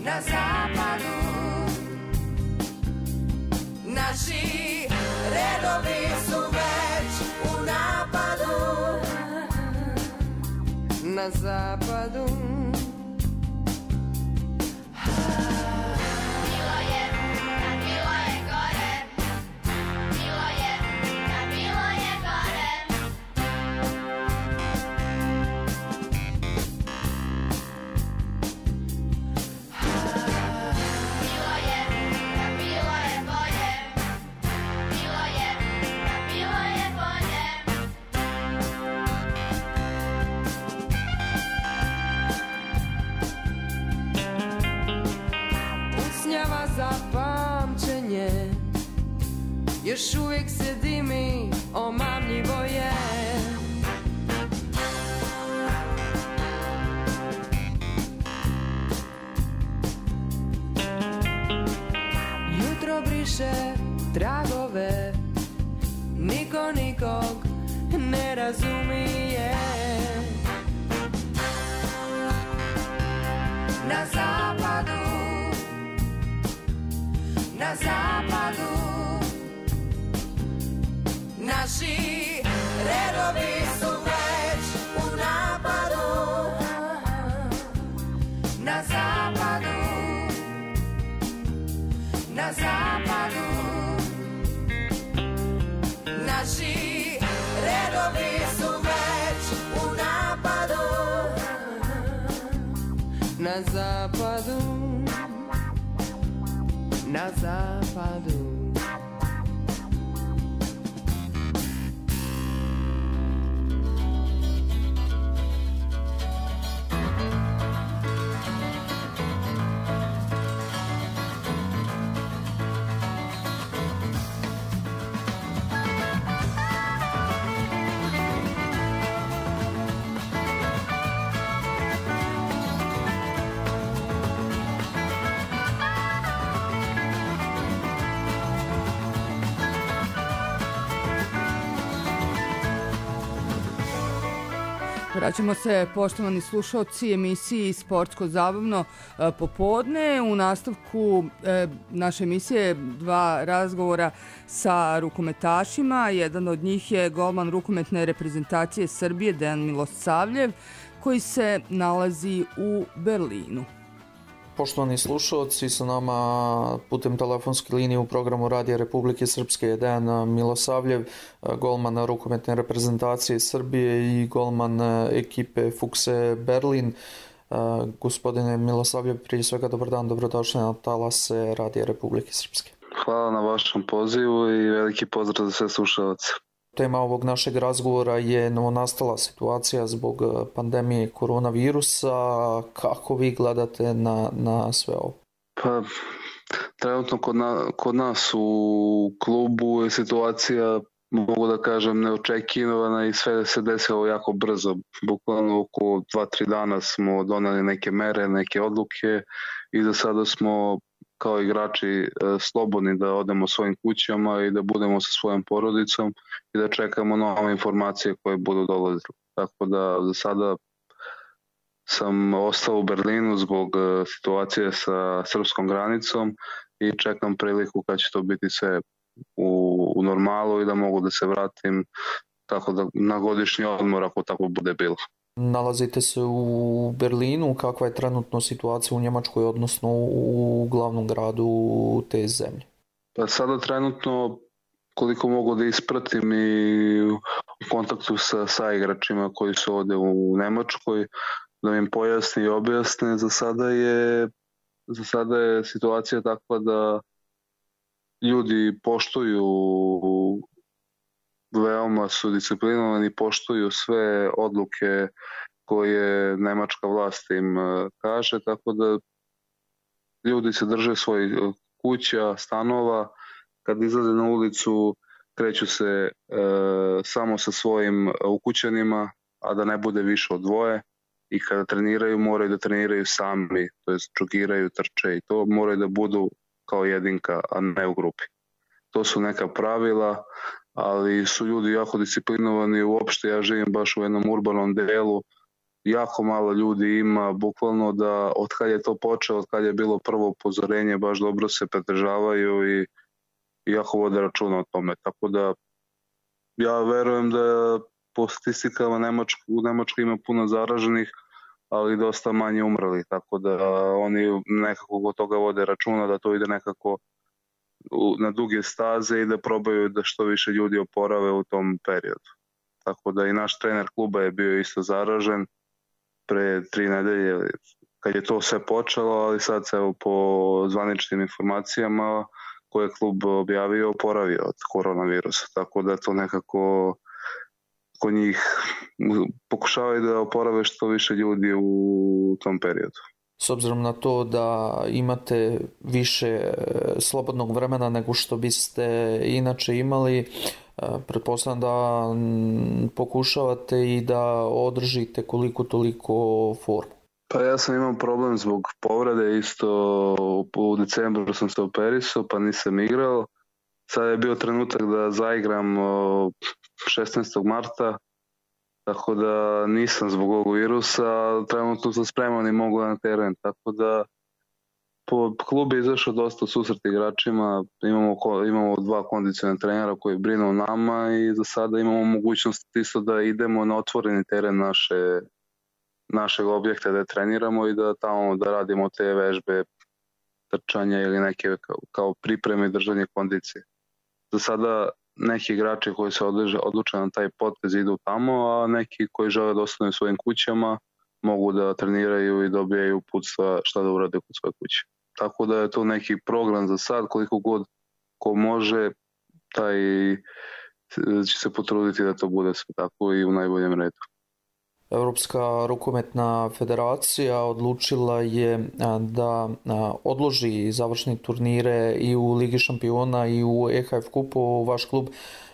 na zapadu, naši redovi su već u napadu. Na zapadu. Bilo je, gore. još uvijek se dimi, omamljivo je. Jutro briše tragove, niko nikog ne razumije. Na zapadu, na zapadu, naši redovi su već u napadu. Na zapadu, na zapadu, naši redovi su već u napadu. Na zapadu, na zapadu. Vraćamo se, poštovani slušalci, emisiji Sportsko-zabavno popodne. U nastavku naše emisije 2 razgovora sa rukometašima. Jedan od njih je golman rukometne reprezentacije Srbije Dejan Milosavljev, koji se nalazi u Berlinu. Poštovani slušalci, sa nama putem telefonske linije u programu Radija Republike Srpske je Dejan Milosavljev, golman rukometne reprezentacije Srbije i golman ekipe Fukse Berlin. Gospodine Milosavljev, prije svega dobar dan, dobrodošli na talase Radija Republike Srpske. Hvala na vašem pozivu i veliki pozdrav za sve slušalce. Tema ovog našeg razgovora je novonastala situacija zbog pandemije koronavirusa. Kako vi gledate na sve ovo? Pa, trenutno kod nas u klubu je situacija, mogu da kažem, neočekivana i sve se desilo jako brzo. Bukvalno oko 2-3 dana smo doneli neke mere, neke odluke i za sada smo kao igrači slobodni da odemo svojim kućama i da budemo sa svojom porodicom i da čekamo nove informacije koje budu dolazile. Tako da za sada sam ostao u Berlinu zbog situacije sa srpskom granicom i čekam priliku kad će to biti sve u normalu i da mogu da se vratim tako da na godišnji odmor ako tako bude bilo. Nalazite se u Berlinu, kakva je trenutno situacija u Njemačkoj, odnosno u glavnom gradu te zemlje? Pa sada trenutno, koliko mogu da ispratim i u kontaktu sa igračima koji su ovde u Nemačkoj, da im pojasni i objasne, za sada je situacija takva da ljudi poštuju, veoma su disciplinovani, poštuju sve odluke koje nemačka vlast im kaže, tako da ljudi se drže svojih kuća, stanova, kad izlaze na ulicu kreću se samo sa svojim ukućanima, a da ne bude više od 2, i kada treniraju moraju da treniraju sami, to jest džogiraju, trče i to moraju da budu kao jedinka, a ne u grupi. To su neka pravila, ali su ljudi jako disciplinovani. Uopšte ja živim baš u jednom urbanom delu, jako malo ljudi ima, bukvalno da od kad je to počeo, od kad je bilo prvo upozorenje, baš dobro se pridržavaju i jako vode računa o tome. Tako da ja verujem da po statistikama u Nemačkoj ima puno zaraženih, ali dosta manje umrli, tako da oni nekako od toga vode računa da to ide nekako na duge staze i da probaju da što više ljudi oporave u tom periodu. Tako da i naš trener kluba je bio isto zaražen pre 3 nedelje kad je to sve počelo, ali sad se po zvaničnim informacijama koje je klub objavio oporavio od koronavirusa. Tako da to nekako kod njih pokušavaju da oporave što više ljudi u tom periodu. S obzirom na to da imate više slobodnog vremena nego što biste inače imali, pretpostavljam da pokušavate i da održite koliko toliko formu. Pa ja sam imao problem zbog povrede, isto u decembru sam se operisao pa nisam igrao. Sad je bio trenutak da zaigram 16. marta, tako da nisam zbog ovog virusa, trenutno sam spreman i mogu na teren, tako da po klubu je izašao dosta susret igračima, imamo 2 kondicione trenera koji brinu o nama i za sada imamo mogućnost isto da idemo na otvoreni teren našeg objekta da treniramo i da tamo da radimo te vežbe, trčanja ili neke kao pripreme i držanje kondicije. Za sada neki igrači koji se odluče na taj potez idu tamo, a neki koji žele da ostanu u svojim kućama mogu da treniraju i dobijaju uputstva šta da urade kod svoje kuće. Tako da je to neki program za sad, koliko god ko može, taj će se potruditi da to bude sve tako i u najboljem redu. Evropska rukometna federacija odlučila je da odloži završne turnire i u Ligi šampiona i u EHF kupu. Vaš klub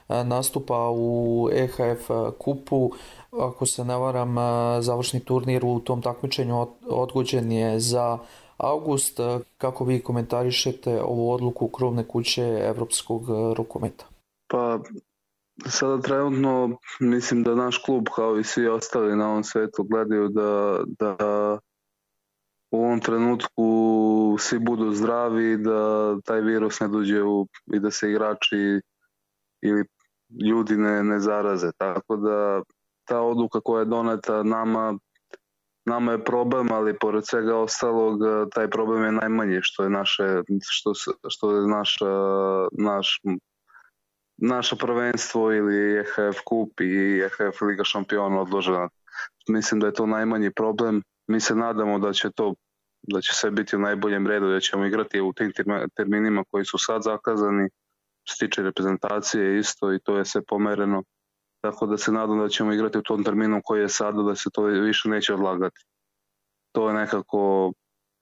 nastupa u EHF kupu. Ako se ne varam, završni turnir u tom takmičenju odgođen je za avgust. Kako vi komentarišete ovu odluku krovne kuće evropskog rukometa? Pa sada trenutno mislim da naš klub kao i svi ostali na ovom svetu gledaju da u ovom trenutku svi budu zdravi, da taj virus ne dođe i da se igrači ili ljudi ne zaraze. Tako da ta odluka koja je doneta nama je problem, ali pored svega ostalog taj problem je najmanji, što je naše prvenstvo ili EHF kup i EHF Liga šampiona odložena. Mislim da je to najmanji problem. Mi se nadamo da će sve biti u najboljem redu, da ćemo igrati u tim terminima koji su sad zakazani. Što se tiče reprezentacije isto i to je sve pomereno. Tako da se nadam da ćemo igrati u tom terminu koji je sada, da se to više neće odlagati. To je nekako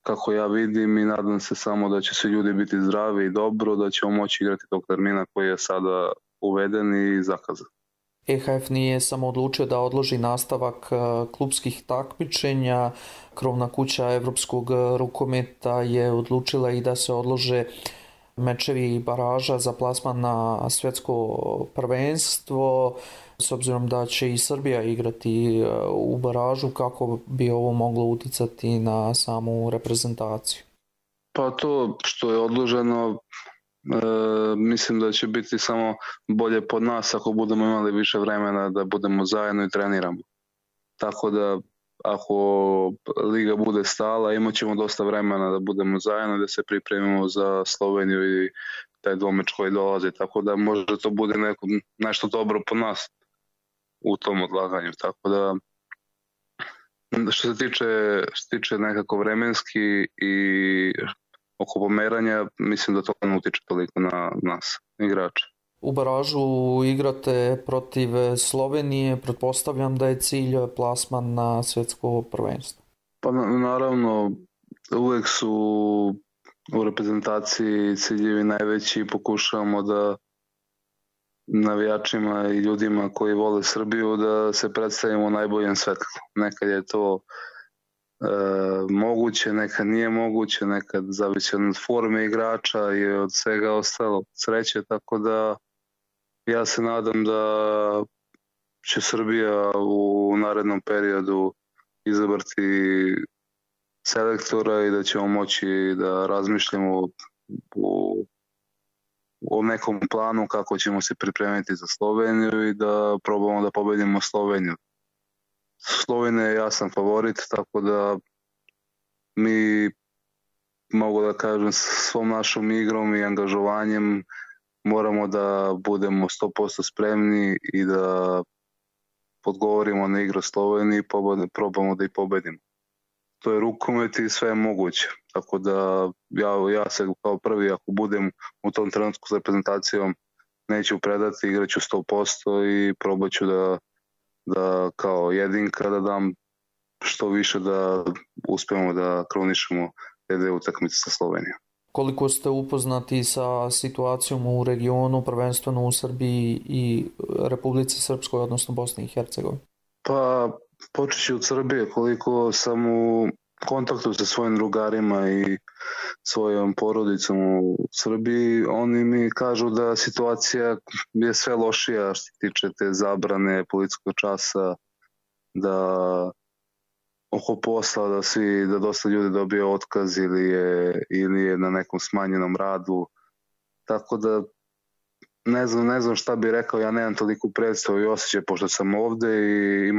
kako ja vidim i nadam se samo da će svi ljudi biti zdravi i dobro, da ćemo moći igrati tog termina koji je sada uveden i zakazan. EHF nije samo odlučio da odloži nastavak klubskih takmičenja. Krovna kuća evropskog rukometa je odlučila i da se odlože mečevi baraža za plasman na svjetsko prvenstvo, s obzirom da će i Srbija igrati u baražu, kako bi ovo moglo uticati na samu reprezentaciju? Pa to što je odloženo, mislim da će biti samo bolje pod nas ako budemo imali više vremena da budemo zajedno i treniramo. Tako da ako liga bude stala, imat ćemo dosta vremena da budemo zajedno, da se pripremimo za Sloveniju i taj dvomeč koji dolazi. Tako da možda to bude nešto dobro po nas u tom odlaganju. Tako da što se tiče nekako vremenski i oko pomeranja, mislim da to ne utiče toliko na nas, igrače. U baražu igrate protiv Slovenije, pretpostavljam da je cilj plasman na svjetsko prvenstvo. Pa naravno, uvek su u reprezentaciji ciljevi najveći i pokušavamo da navijačima i ljudima koji vole Srbiju da se predstavimo u najboljem svetlu. Nekad je to moguće, nekad nije moguće, nekad zavisi od forme igrača i od svega ostalo sreće, tako da ja se nadam da će Srbija u narednom periodu izabrati selektora i da ćemo moći da razmišljamo o nekom planu kako ćemo se pripremiti za Sloveniju i da probamo da pobedimo Sloveniju. Slovenija je jasan favorit, tako da mi, mogu da kažem, svom našom igrom i angažovanjem moramo da budemo 100% spremni i da odgovorimo na igru Sloveniji i probamo da ih pobedimo. To je rukomet i sve je moguće. Tako da ja se kao prvi, ako budem u tom trenutku s reprezentacijom, neću predati, igraću 100% i probat ću da kao jedinka da dam što više da uspijemo da kronišemo te dve utakmice sa Slovenijom. Koliko ste upoznati sa situacijom u regionu, prvenstveno u Srbiji i Republici Srpskoj, odnosno Bosni i Hercegovini? Pa počeći od Srbije, koliko sam u kontaktu sa svojim drugarima i svojom porodicom u Srbiji, oni mi kažu da situacija je sve lošija što se tiče te zabrane policijskog časa, da oko posla da dosta ljudi dobije otkaz ili je na nekom smanjenom radu. Tako da ne znam šta bih rekao, ja nemam toliko predstavu i osjećaj pošto sam ovde i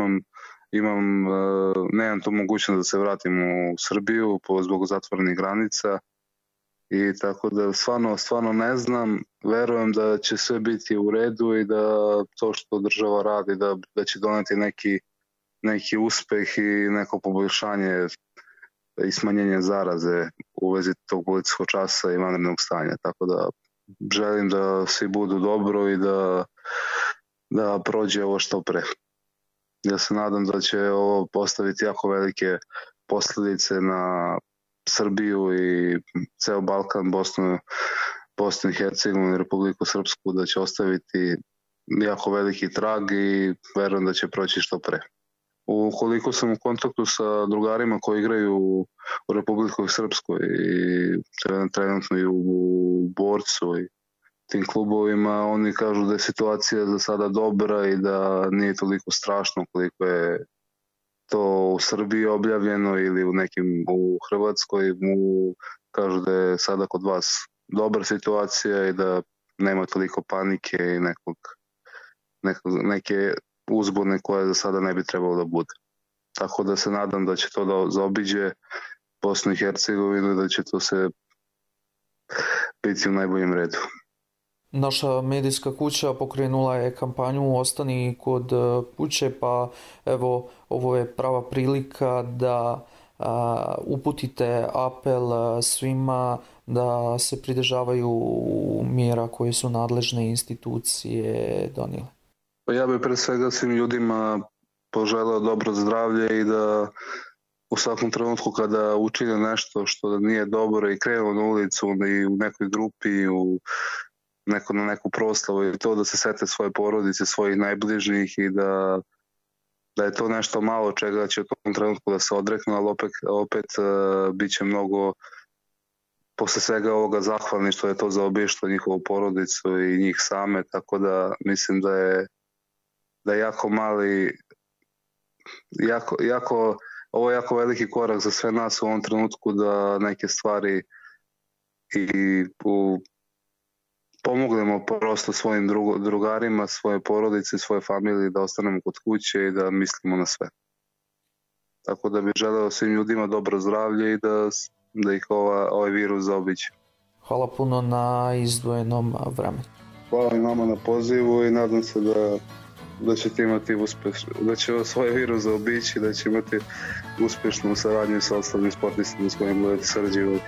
nemam tu mogućnost da se vratim u Srbiju zbog zatvorenih granica i tako da stvarno ne znam, verujem da će sve biti u redu i da to što država radi da će doneti neki uspeh i neko poboljšanje i smanjenje zaraze u vezi tog policijskog časa i vanrednog stanja, tako da želim da svi budu dobro i da prođe ovo što pre. Ja se nadam da će ovo postaviti jako velike posljedice na Srbiju i ceo Balkan, Bosnu i Hercegovinu i Republiku Srpsku, da će ostaviti jako veliki trag i verujem da će proći što pre. Ukoliko sam u kontaktu sa drugarima koji igraju u Republiku Srpskoj i trenutno i u Borcu i tim klubovima, oni kažu da je situacija za sada dobra i da nije toliko strašno koliko je to u Srbiji objavljeno ili u Hrvatskoj. Kažu da je sada kod vas dobra situacija i da nema toliko panike i neke uzbune koje za sada ne bi trebalo da bude. Tako da se nadam da će to da zaobiđe Bosnu i Hercegovinu i da će to se biti u najboljem redu. Naša medijska kuća pokrenula je kampanju Ostani kod kuće, pa evo ovo je prava prilika da uputite apel svima da se pridržavaju mjera koje su nadležne institucije donijele. Ja bih pre svega svim ljudima poželeo dobro zdravlje i da u svakom trenutku kada učine nešto što nije dobro i krenu na ulicu i u nekoj grupi, na neku proslavu i to da se sete svoje porodice, svojih najbližnjih i da je to nešto malo čega će u tom trenutku da se odreknu, ali opet bit će mnogo posle svega ovoga zahvalni što je to zaobišlo njihovu porodicu i njih same, tako da mislim da je jako mali, ovo je jako veliki korak za sve nas u ovom trenutku da neke stvari i pomognemo prosto svojim drugarima, svoje porodice, svoje familije da ostanemo kod kuće i da mislimo na sve. Tako da bih želeo svim ljudima dobro zdravlje i da ih ovaj virus zaobiđe. Hvala puno na izdvojenom vremenu. Hvala i vama na pozivu i nadam se da ćete imati da će svoj virus zaobići, da će imati uspješnu saradnju sa ostalim sportistima s kojim budete sarađivati.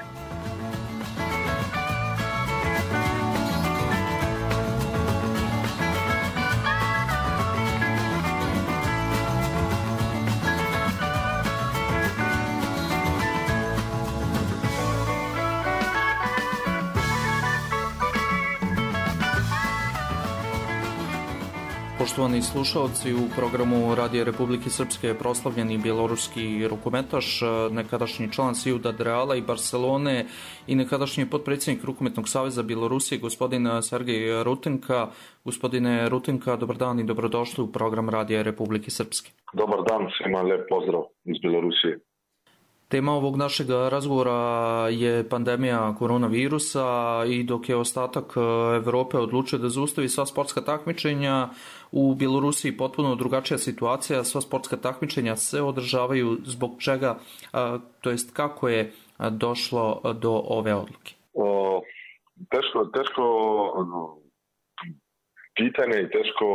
Poštovani slušalci, u programu Radija Republike Srpske je proslavljeni bjeloruski rukometaš, nekadašnji član Ciudad Reala i Barcelone i nekadašnji potpredsjednik Rukometnog saveza Bjelorusije, gospodin Sergej Rutenka. Gospodine Rutenka, dobar dan i dobrodošli u program Radija Republike Srpske. Dobar dan, svima lijep pozdrav iz Bjelorusije. Tema ovog našeg razgovora je pandemija koronavirusa i dok je ostatak Evrope odlučio da zaustavi sva sportska takmičenja, u Bjelorusiji potpuno drugačija situacija, sva sportska takmičenja se održavaju, zbog čega, to jest kako je došlo do ove odluke? Teško pitanje i teško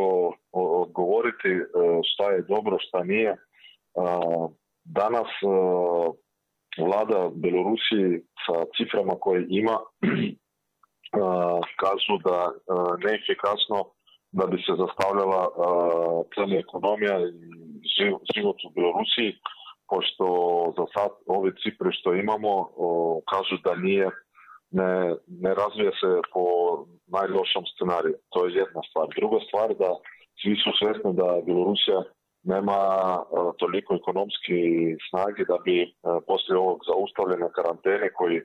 odgovoriti šta je dobro, šta nije. Danas vlada Bjelorusiji sa ciframa koje ima kažu da neefikasno da bi se zastavljala cijela ekonomija i život u Bjelorusiji, pošto za sad ove cifre što imamo kažu da ne razvija se po najlošom scenariju. To je jedna stvar. Druga stvar da svi su svjesni da Bjelorusija nema toliko ekonomski snage da bi poslije ovog zaustavljene karantene koji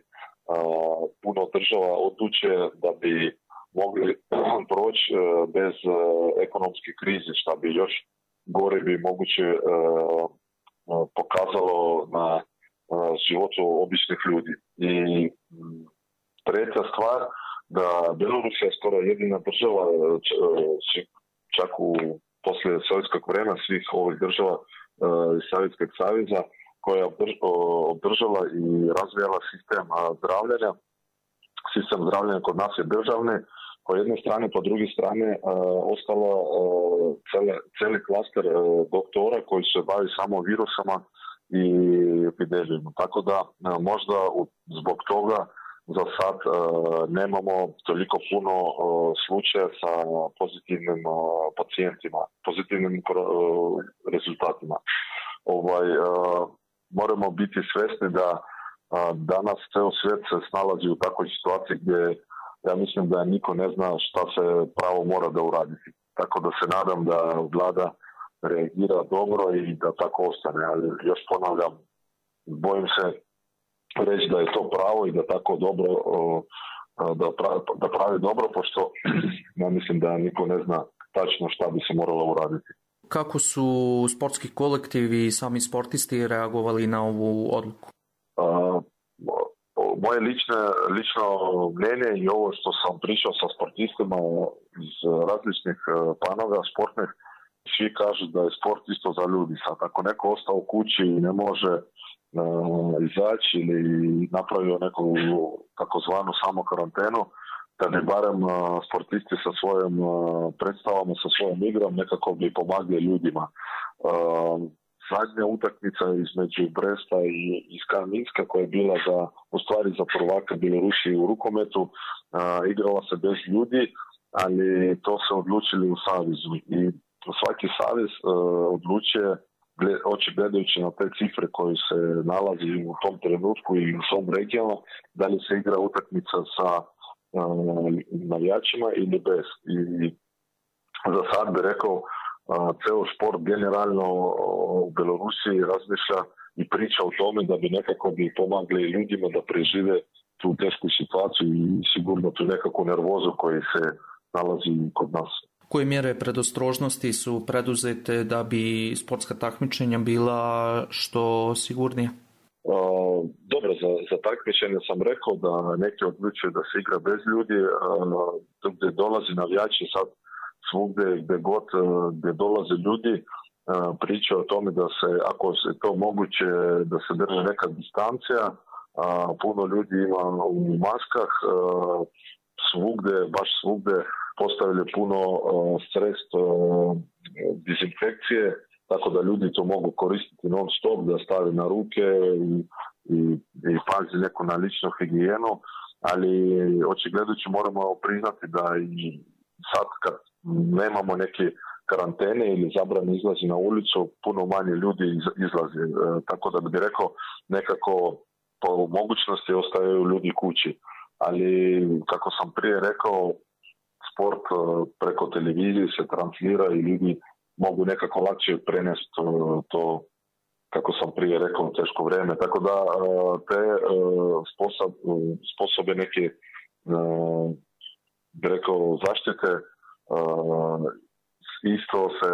puno država odluče da bi mogli proći bez ekonomske krize, što bi još gore bi moguće pokazalo na životu običnih ljudi. I treća stvar, da Bjelorusija je skoro jedina država, čak poslije sovjetskog vremena svih ovih država iz Sovjetskog saveza, koja je obdržala i razvijala sistem zdravljenja. Sistem zdravljenja kod nas je državni, po jedne strane, po druge strane ostalo cijeli klaster doktora koji se bavi samo virusama i epidemijama. Tako da možda zbog toga za sad nemamo toliko puno slučaja sa pozitivnim pacijentima, pozitivnim rezultatima. Moramo biti svjesni da danas ceo svijet se snalazi u takvoj situaciji gdje ja mislim da niko ne zna šta se pravo mora da uraditi. Tako da se nadam da vlada reagira dobro i da tako ostane. Ali još ponavljam, bojim se reći da je to pravo i da tako dobro da pravi dobro, pošto ja mislim da niko ne zna tačno šta bi se moralo uraditi. Kako su sportski kolektivi i sami sportisti reagovali na ovu odluku? Moje lično mnenje i ovo što sam pričao sa sportistima iz različnih panova sportnih, svi kažu da je sport isto za ljudi. Sad, ako neko ostao u kući i ne može izaći ili napravio neku takozvanu samo karantenu, da bi barem sportisti sa svojim predstavama, sa svojom igrom nekako bi pomagli ljudima. Zadnja utakmica između Bresta i Skan-Minska koja je bila za prvaka Bjelorusije u rukometu, igrala se bez ljudi, ali to se odlučili u savezu. I svaki savez odlučuje, gledajući na te cifre koje se nalazi u tom trenutku i u svom regionu, da li se igra utakmica sa navijačima ili bez. I za sad bi rekao, ceo sport generalno u Bjelorusiji razmišlja i priča o tome da bi nekako bi pomagli ljudima da prežive tu tešku situaciju i sigurno tu nekakvu nervozu koji se nalazi kod nas. Koje mjere predostrožnosti su preduzete da bi sportska takmičenja bila što sigurnije? Dobro, za takmičenje sam rekao da neki odlučuju da se igra bez ljudi, gdje dolazi navijači sad svugdje gdje dolaze ljudi, priča o tome da se, ako se to moguće, da se drži neka distancija, puno ljudi ima u maskah, baš svugdje postavili puno sredstva dezinfekcije, tako da ljudi to mogu koristiti non stop, da stavi na ruke i pazi neku na ličnu higijenu, ali očigledujući moramo priznati da i sad kad nemamo neke karantene ili zabrane izlazi na ulicu, puno manje ljudi izlazi. Tako da bi rekao, nekako po mogućnosti ostaju ljudi kući. Ali, kako sam prije rekao, sport preko televizije se translira i ljudi mogu nekako lakše prenesti to, kako sam prije rekao, teško vrijeme. Tako da te sposobe neke, bi rekao, zaštite isto se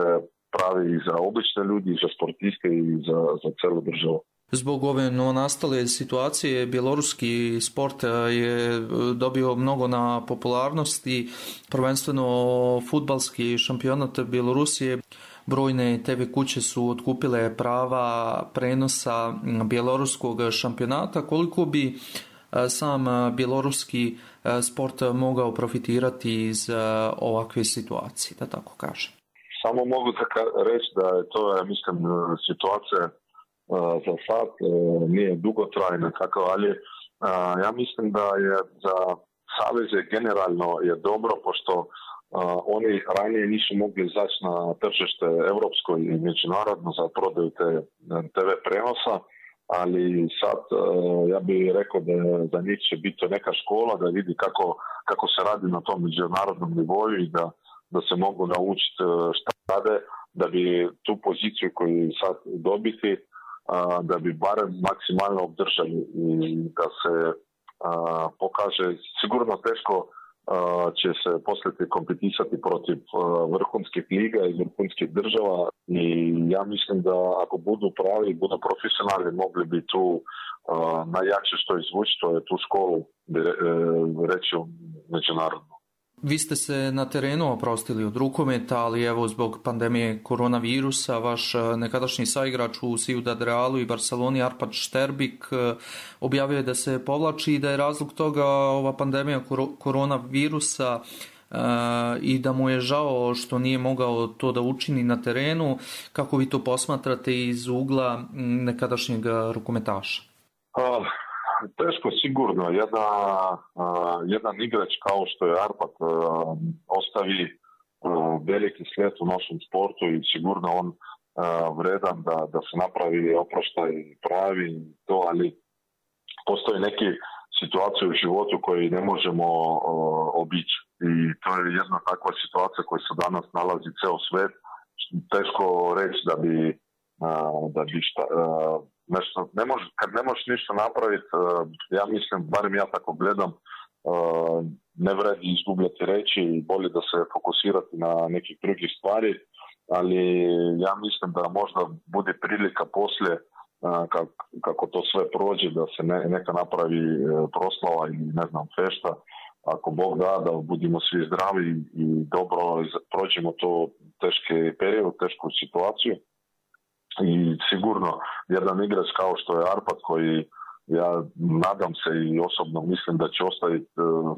pravi i za obične ljudi, i za sportiste i za celu državu. Zbog ove novonastale situacije bjeloruski sport je dobio mnogo na popularnosti, prvenstveno fudbalski šampionat Bjelorusije. Brojne TV kuće su otkupile prava prenosa bjeloruskog šampionata. Koliko bi sam bjeloruski sport mogao profitirati iz ovakve situacije, da tako kažem? Samo mogu reći da je to, ja mislim, situacija za sad nije dugotrajna, tako, ali ja mislim da je za saveze generalno je dobro, pošto Oni ranije nisu mogli izaći na tržište evropsko i međunarodno za prodaju te TV prenosa, ali sad ja bih rekao da za njih će biti neka škola da vidi kako se radi na tom međunarodnom nivou i da se mogu naučiti šta rade, da bi tu poziciju koju sad dobiti, da bi barem maksimalno obdržali i da se pokaže. Sigurno teško će se poslije kompetisati protiv vrhunskih liga i vrhunskih država i ja mislim da ako budu pravi, budu profesionalni, mogli bi tu najjače što izvući, to je tu školu reći međunarodno. Vi ste se na terenu oprostili od rukometa, ali evo zbog pandemije koronavirusa vaš nekadašnji saigrač u Ciudad Realu i Barceloni Arpad Šterbik objavio je da se povlači i da je razlog toga ova pandemija koronavirusa i da mu je žao što nije mogao to da učini na terenu. Kako vi to posmatrate iz ugla nekadašnjeg rukometaša? Teško sigurno. Jedan igrač kao što je Arpad ostavi veliki slijed u našem sportu i sigurno on vredan da se napravi oproštaj pravi to, ali postoji neke situacije u životu koje ne možemo obići i to je jedna takva situacija koja se danas nalazi ceo svet. Teško reći da bi nešto, kad ne možeš ništa napraviti, ja mislim, barem ja tako gledam, ne vredi izgubljati reći i bolje da se fokusirati na nekih drugih stvari, ali ja mislim da možda bude prilika poslije kako to sve prođe, da se neka napravi proslava ili ne znam fešta, ako Bog da budemo svi zdravi i dobro prođemo to teški period, tešku situaciju. I sigurno jedan igrač kao što je Arpad koji ja nadam se i osobno mislim da će ostati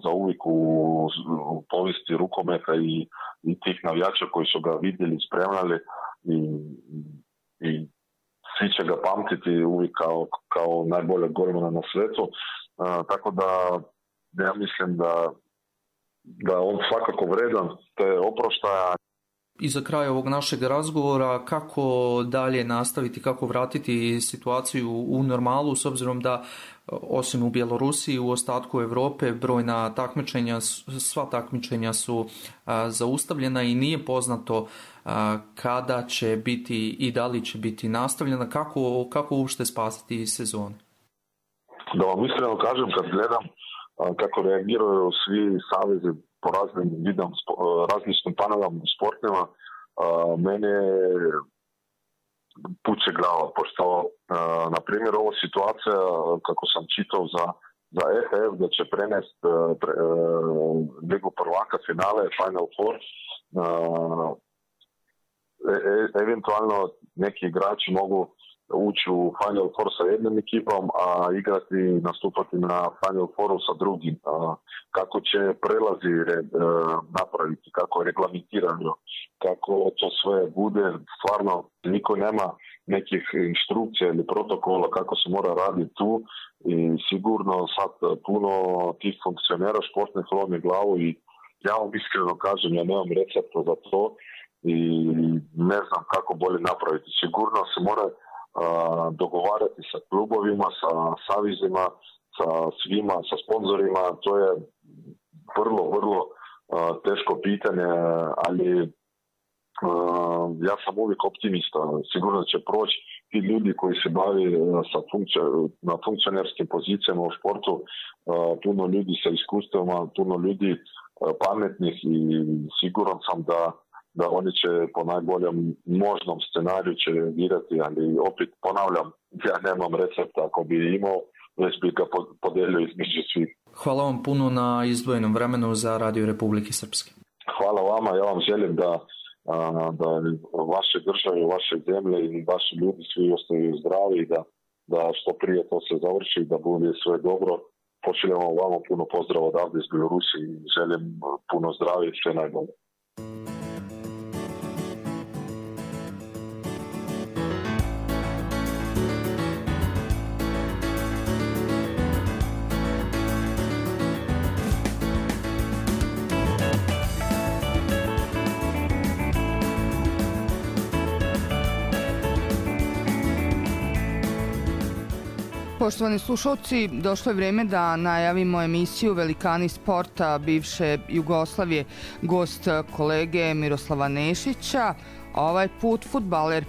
za uvijek u povijesti rukometa i tih navijača koji su ga vidjeli, spremljali i svi će ga pamtiti uvijek kao najboljeg golmana na svijetu. Tako da ja mislim da on svakako vredan te oproštaja. I za kraj ovog našeg razgovora, kako dalje nastaviti, kako vratiti situaciju u normalu, s obzirom da osim u Bjelorusiji, u ostatku Europe brojna takmičenja, sva takmičenja su zaustavljena i nije poznato kada će biti i da li će biti nastavljena, kako uopšte spasiti sezonu? Da vam iskreno kažem, kad gledam kako reagiraju svi savezi po raznim različitim panovama sportima, mene puće glava, pošto na primjer ovo situacija, kako sam čitao za EHF, da će prenesti Ligu prvaka finale Final Four, eventualno neki igrači mogu ući u Final Four sa jednom ekipom, a igrati i nastupati na Final Fouru sa drugim. Kako će prelazi napraviti, kako je reglamentirano, kako to sve bude, stvarno niko nema nekih instrukcija ili protokola kako se mora raditi tu i sigurno sad puno tih funkcionera športnih lomi glavu i ja vam iskreno kažem, ja nemam recepta za to i ne znam kako bolje napraviti. Sigurno se mora dogovarati sa klubovima, sa savizima, sa svima, sa sponzorima. To je vrlo teško pitanje, ali ja sam uvijek optimista. Sigurno će proći ti ljudi koji se bavi na funkcionerskim pozicijama u športu, puno ljudi sa iskustvima, puno ljudi pametnih i siguran sam da oni će po najboljem možnom scenariju će reagirati, ali opet ponavljam, ja nemam recepta, ako bi imao, već bi ga podelio između svih. Hvala vam puno na izdvojenom vremenu za Radio Republike Srpske. Hvala vama, ja vam želim da vaše države, vaše zemlje i vaši ljudi svi ostaju zdravi i da što prije to se završi, da bude sve dobro. Pošaljamo vama puno pozdrava odavde iz Bjelorusije i želim puno zdravlja i sve najbolje. Poštovani slušalci, došlo je vreme da najavimo emisiju Velikani sporta bivše Jugoslavije. Gost kolege Miroslava Nešića, ovaj put fudbaler